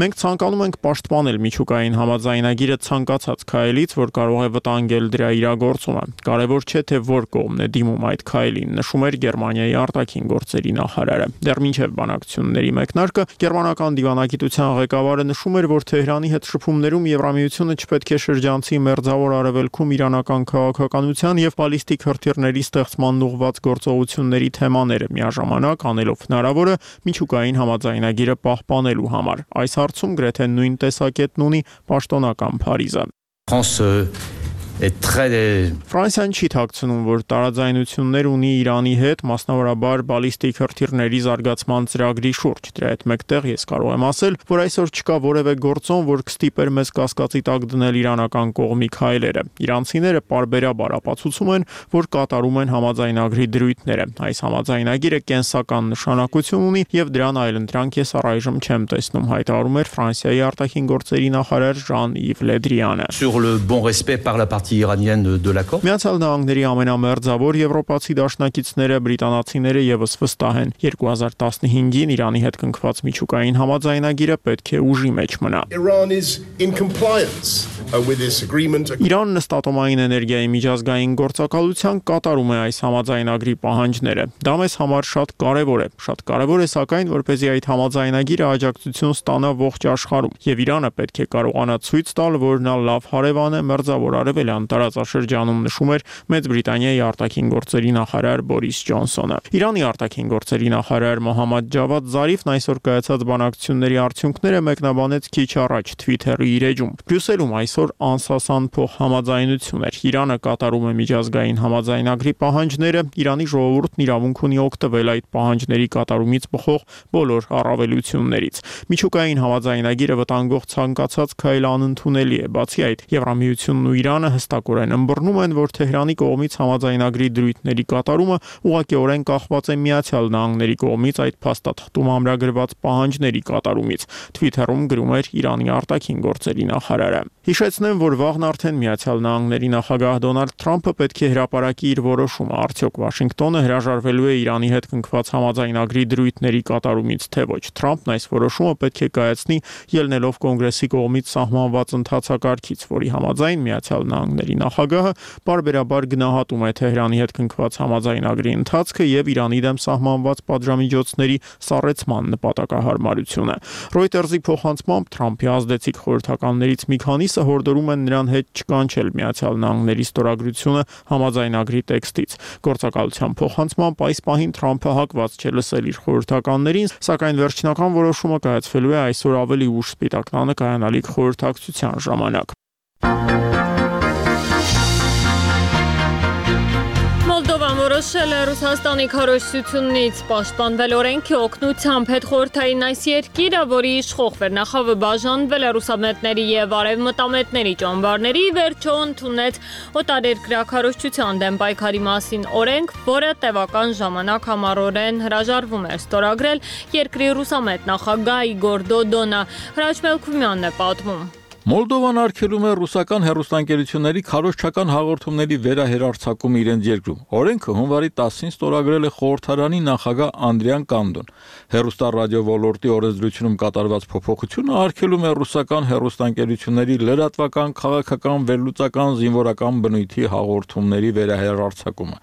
Մենք ցանկանում ենք պաշտպանել միջուկային համաձայնագիրը ցանկացած քայլից, որ կարող է վտանգել դրա իրագործումը։ Կարևոր չէ, թե որ կողմն է դիմում այդ քայլին, նշում էր Գերմանիայի արտաքին գործերի նախարարը։ Դեռ մինչև բանակցությունների մեկնարկը գերմանական դիվանագիտության ղեկավարը նշում էր, որ Թեհրանի հետ շփումներում Եվրամիությունը չպետք է շրջանցի Մերձավոր Արևելքում իրանական քաղաքականության եւ բալիստիկ հրթիռների ստեղծման ուղղված գործողությունների թեմաները, միաժամանակ անելով հնարավորը միջուկային համաձայնագիրը պահպանելու համար։ Այս հարցում գրեթե նույն տեսակետն ունի պաշտոնական Փարիզը։ Ֆրանսիան չի թաքցնում, որ տարաձայնություններ ունի Իրանի հետ, մասնավորաբար բալիստիկ հրթիռների զարգացման ծրագրի շուրջ։ Դրա հետ մեկտեղ ես կարող եմ ասել, որ այսօր չկա որևէ գործոն, որ կստիպեր մեզ կասկածի տակ դնել իրանական կողմի քայլերը։ Իրանցիները պարբերաբար ապացուցում են, որ կատարում են համաձայնագրի դրույթները։ Այս համաձայնագիրը կենսական նշանակություն ունի եւ դրան այլընտրանք ես առայժմ չեմ տեսնում, հայտարարում էր Ֆրանսիայի արտաքին գործերի նախարար Ժան-Իվ Լեդրիանը։ Միացյալ Նահանգների ամենամերձավոր եվրոպացի դաշնակիցները բրիտանացիները եւս վստահ են 2015-ին Իրանի հետ կնքված միջուկային համաձայնագիրը պետք է ուժի մեջ մնա։ Իրանն ըստ ատոմային էներգիայի միջազգային գործակալության կատարում է այս համաձայնագրի պահանջները։ Դա մեզ համար շատ կարևոր է։ Շատ կարևոր է սակայն, որպեսզի այդ համաձայնագիրը աջակցություն ստանա ողջ աշխարհում, եւ Իրանը պետք է կարողանա ցույց տալ, որ նա լավ հարևան է Մերձավոր Արևելյան ավստրալիան տարածաշրջանում, նշում էր Մեծ Բրիտանիայի արտաքին գործերի նախարար Բորիս Ջոնսոնը։ Իրանի արտաքին գործերի նախարար Մոհամմադ Ջավադ Զարիֆն այսօր կայացած բանակցությունների արդյունքները մեկնաբանեց քիչ առաջ Twitter-ի իր էջում։ Բրյուսելում այսօր անսասան փոխհամաձայնություն էր։ Իրանը կատարում է միջազգային համաձայնագրի պահանջները, Իրանի ժողովուրդն իրավունք ունի օգտվել այդ պահանջների կատարումից բխող բոլոր առավելություններից։ Միջուկային համաձայնագիրը վտանգող ցանկացած քայլ անընդունելի է։ Բացի այդ, Եվրամիությունն ու Իրանը հստակորեն ըմբռնում են, որ Թեհրանի կողմից համաձայնագրի դրույթների կատարումը ուղղակիորեն կախված է Միացյալ Նահանգների կողմից այդ փաստաթղթում ամրագրված պահանջների կատարումից։ Twitter-ում գրում էր Իրանի արտաքին գործերի նախարարը։ Հիշեցնեմ, որ վաղն արդեն Միացյալ Նահանգների նախագահ Դոնալդ Թրամփը պետք է հրապարակի իր որոշումը, արդյոք Վաշինգտոնը հրաժարվելու է Իրանի հետ կնքված համաձայնագրի դրույթների կատարումից, թե ոչ։ Թրամփն այս որոշումը պետք է կայացնի ելնելով կոնգրեսի կողմից սահմանված ընթացակարգից, որի համաձայն Միացյալ Նահանգների նախագահը պարբերաբար գնահատում է Թեհրանի հետ կնքված համաձայնագրի ընթացքը եւ Իրանի դեմ սահմանված պատժամիջոցների սառեցման նպատակահարմարությունը։ Reuters-ի փոխանցմամբ Թրամփի ազդեցիկ խորհրդականներից մի քանիսը հորդորում են նրան հետ չկանչել Միացյալ Նահանգների ստորագրությունը համաձայնագրի տեքստից։ Գործակալության փոխանցմամբ այս պահին Թրամփը հակված չէ լսել իր խորհրդականներին, սակայն վերջնական որոշումը կայացվելու է այսօր ավելի ուշ Սպիտակ տանը կայանալիք խորհրդակցության ժամանակ։ Մոլդովան որոշել է Ռուսաստանի քարոզչությունից պաշտպանվել օրենքի օգնությամբ հետխորհրդային այս երկիրը, որի իշխող վերնախավը բաժանվել է ռուսամետների եւ արևմտամետների ճամբարների, վերջո ընդունեց օտարերկրյա քարոզչության դեմ պայքարի մասին օրենք, որը տևական ժամանակ համառորեն հրաժարվում էր ստորագրել երկրի ռուսամետ նախագահ Իգոր Դոդոնը։ Հրաչ Մելքումյանն է պատմում։ Մոլդովան արգելում է ռուսական հեռուստաընկերությունների քարոզչական հաղորդումների վերահերարձակումը իրենց երկրում։ Օրենքը հունվարի 10-ին ստորագրել է խորհրդարանի նախագահ Անդրիան Կանդոն։ Հեռուստառադիո ոլորտի օրենսդրությունում կատարված փոփոխությունը արգելում է ռուսական հեռուստաընկերությունների լրատվական, քաղաքական, վերլուծական, զինվորական բնույթի հաղորդումների վերահերարձակումը։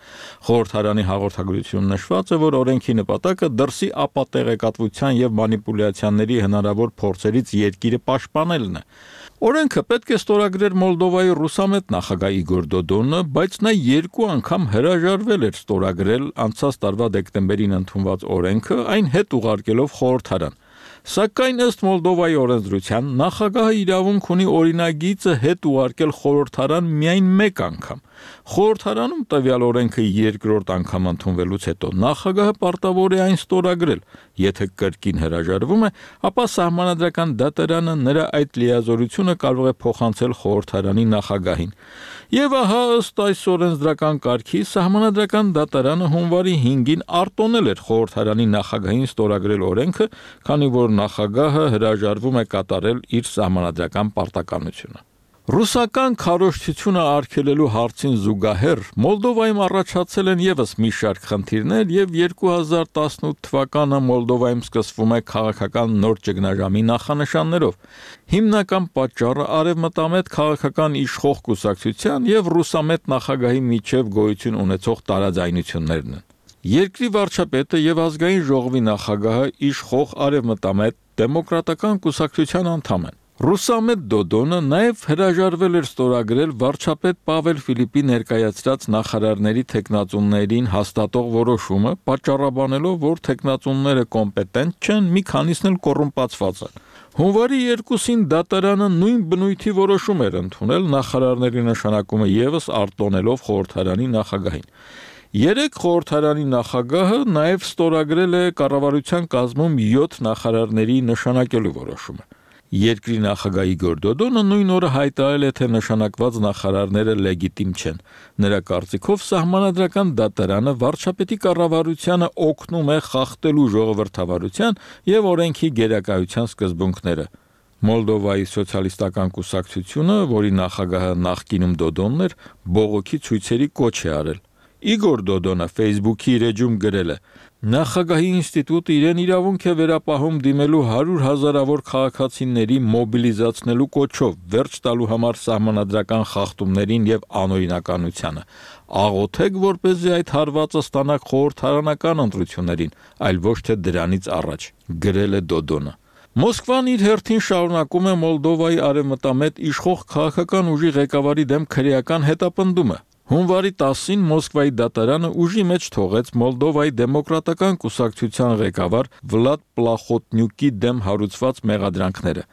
Խորհրդարանի հաղորդագրությունում նշված է, որ օրենքի նպատակը դրսի ապատեղեկատվության եւ մանիպուլյացիաների հնարավոր փորձերից երկիրը պաշտպանելն է։ Օրենքը պետք է ստորագրեր Մոլդովայի ռուսամետ նախագահ Իգոր Դոդոնը, բայց նա երկու անգամ հրաժարվել էր ստորագրել անցած տարվա դեկտեմբերին ընդունված օրենքը, այն հետ ուղարկելով խորհրդարան։ Սակայն ըստ Մոլդովայի օրենսդրության նախագահը իրավունք ունի օրինագիծը հետ ուղարկել խորհրդարան միայն մեկ անգամ։ Խորհրդարանում տվյալ օրենքը երկրորդ անգամ ընդունվելուց հետո նախագահը պարտավոր է այն ստորագրել։ Եթե կրկին հրաժարվում է, ապա սահմանադրական դատարանը նրա այդ լիազորությունը կարող է փոխանցել խորհրդարանի նախագահին։ Եվ ահա ըստ այս օրենսդրական կարգի սահմանադրական դատարանը հունվարի 5-ին արտոնել էր խորհրդարանի նախագահին ստորագրել օրենքը, քանի որ նախագահը հրաժարվում է կատարել իր սահմանադրական պարտականությունը։ Ռուսական քարոզչությունը արգելելու հարցին զուգահեռ Մոլդովայում առաջացել են եւս մի շարք խնդիրներ եւ 2018 թվականը Մոլդովայում սկսվում է քաղաքական նոր ճգնաժամի նախանշաններով։ Հիմնական պատճառը արևմտամետ քաղաքական իշխող կուսակցության եւ ռուսամետ նախագահի միջև գոյություն ունեցող տարաձայնություններն են։ Երկրի վարչապետը եւ ազգային ժողովի նախագահը իշխող արևմտամետ դեմոկրատական կուսակցության անդամ են։ Ռուսամետ Դոդոնը նաև հրաժարվել էր ստորագրել վարչապետ Պավել Ֆիլիպի ներկայացրած նախարարների թեկնածուներին հաստատող որոշումը, պատճառաբանելով, որ թեկնածուները կոմպետենտ չեն, մի քանիսն էլ կոռումպացված են։ Հունվարի 2-ին դատարանը նույն բնույթի որոշում էր ընդունել նախարարների նշանակումը եւս արտոնելով խորհրդարանի նախագահին։ Երեք խորհրդարանի նախագահը նաև ստորագրել է կառավարության կազմում 7 նախարարների նշանակելու որոշումը։ Երկրի նախագահ Իգոր Դոդոնը նույն օրը հայտարարել է, թե նշանակված նախարարները լեգիտիմ չեն։ Նրա կարծիքով սահմանադրական դատարանը վարչապետի կառավարությանը օգնում է խախտելու ժողովրդավարության եւ օրենքի գերակայության սկզբունքները։ Մոլդովայի սոցիալիստական կուսակցությունը, որի նախագահը նախկինում Դոդոնն էր, բողոքի ցույցերի կոչ է արել։ Իգոր Դոդոնը Facebook-ի իր էջում գրել է. Նախագահի ինստիտուտը իրեն իրավունք է վերապահում դիմելու 100 հազարավոր քաղաքացիների մոբիլիզացնելու կոչով, վերջ տալու համար սահմանադրական խախտումներին եւ անօրինականությանը։ Աղոթեք, որպեսզի այդ հարվածը ստանաք խորհրդարանական ընտրություններին, այլ ոչ թե դրանից առաջ, գրել է Դոդոնը։ Մոսկվան իր հերթին շարունակում է Մոլդովայի արևմտամետ իշխող քաղաքական ուժի ղեկավարի դեմ քրեական հետապնդումը։ Հունվարի 10-ին Մոսկվայի դատարանը ուժի մեջ թողեց Մոլդովայի դեմոկրատական կուսակցության ղեկավար Վլադ Պլախոտնյուկի դեմ հարուցված մեղադրանքները։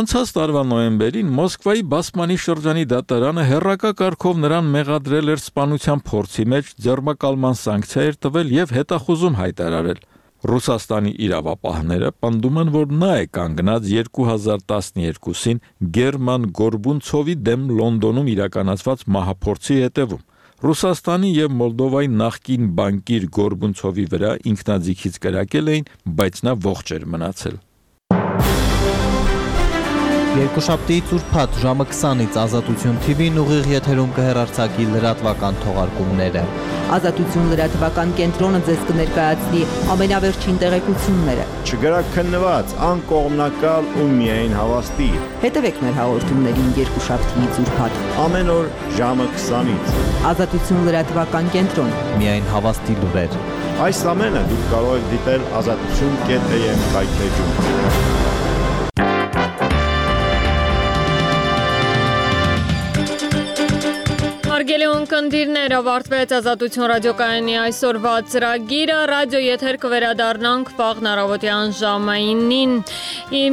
Անցած տարվա նոյեմբերին Մոսկվայի Բասմանի շրջանի դատարանը հերրակա կարգով նրան մեղադրել էր սպանության փորձի մեջ, ձեռնարկման սանկցիա էր տվել եւ հետախուզում հայտարարել։ Ռուսաստանի իրավապահները պնդում են, որ նա է կանգնած 2012-ին Գերման Գորբունցովի դեմ Լոնդոնում իրականացված մահափորձի հետևում։ Ռուսաստանի եւ Մոլդովայի նախկին բանկիր Գորբունցովի վրա ինքնաձիգից կրակել էին, բայց նա ողջ էր մնացել։ Երկուշաբթիից ուրբաթ ժամը 20-ից Ազատություն TV-ն ուղիղ եթերում կհեռարձակի լրատվական թողարկումները։ Ազատություն լրատվական կենտրոնը ձեզ կներկայացնի ամենավերջին տեղեկությունները։ Չգրաքննված, անկողմնակալ ու միայն հավաստի։ Հետևեք մեր հաղորդումներին երկուշաբթիից ուրբաթ։ Ամեն օր ժամը 20-ից։ Ազատություն լրատվական կենտրոն։ Միայն հավաստի լուրեր։ Այս ամենը դուք կարող եք դիտել azatutun.am կայքեջում։ Հարգելի ունկնդիրներ, ավարտվեց Ազատություն ռադիոկայանի այսօրվա ծրագիրը, ռադիո եթեր կվերադառնանք վաղն առավոտյան ժամը 9-ին։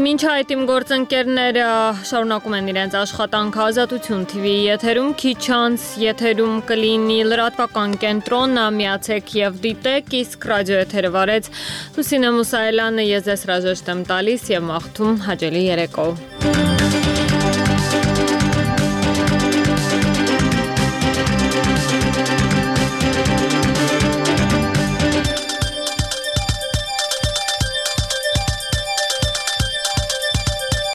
Մինչ այդ իմ գործընկերները շարունակում են իրենց աշխատանքը Ազատություն TV եթերում, քիչ անց եթերում կլինի լրատվական կենտրոնը, միացեք եւ դիտեք, իսկ ռադիո եթերը վարեց Լուսինե Մուսայելյանը, ես ձեզ հրաժեշտ եմ տալիս եւ մաղթում հաճելի երեկո։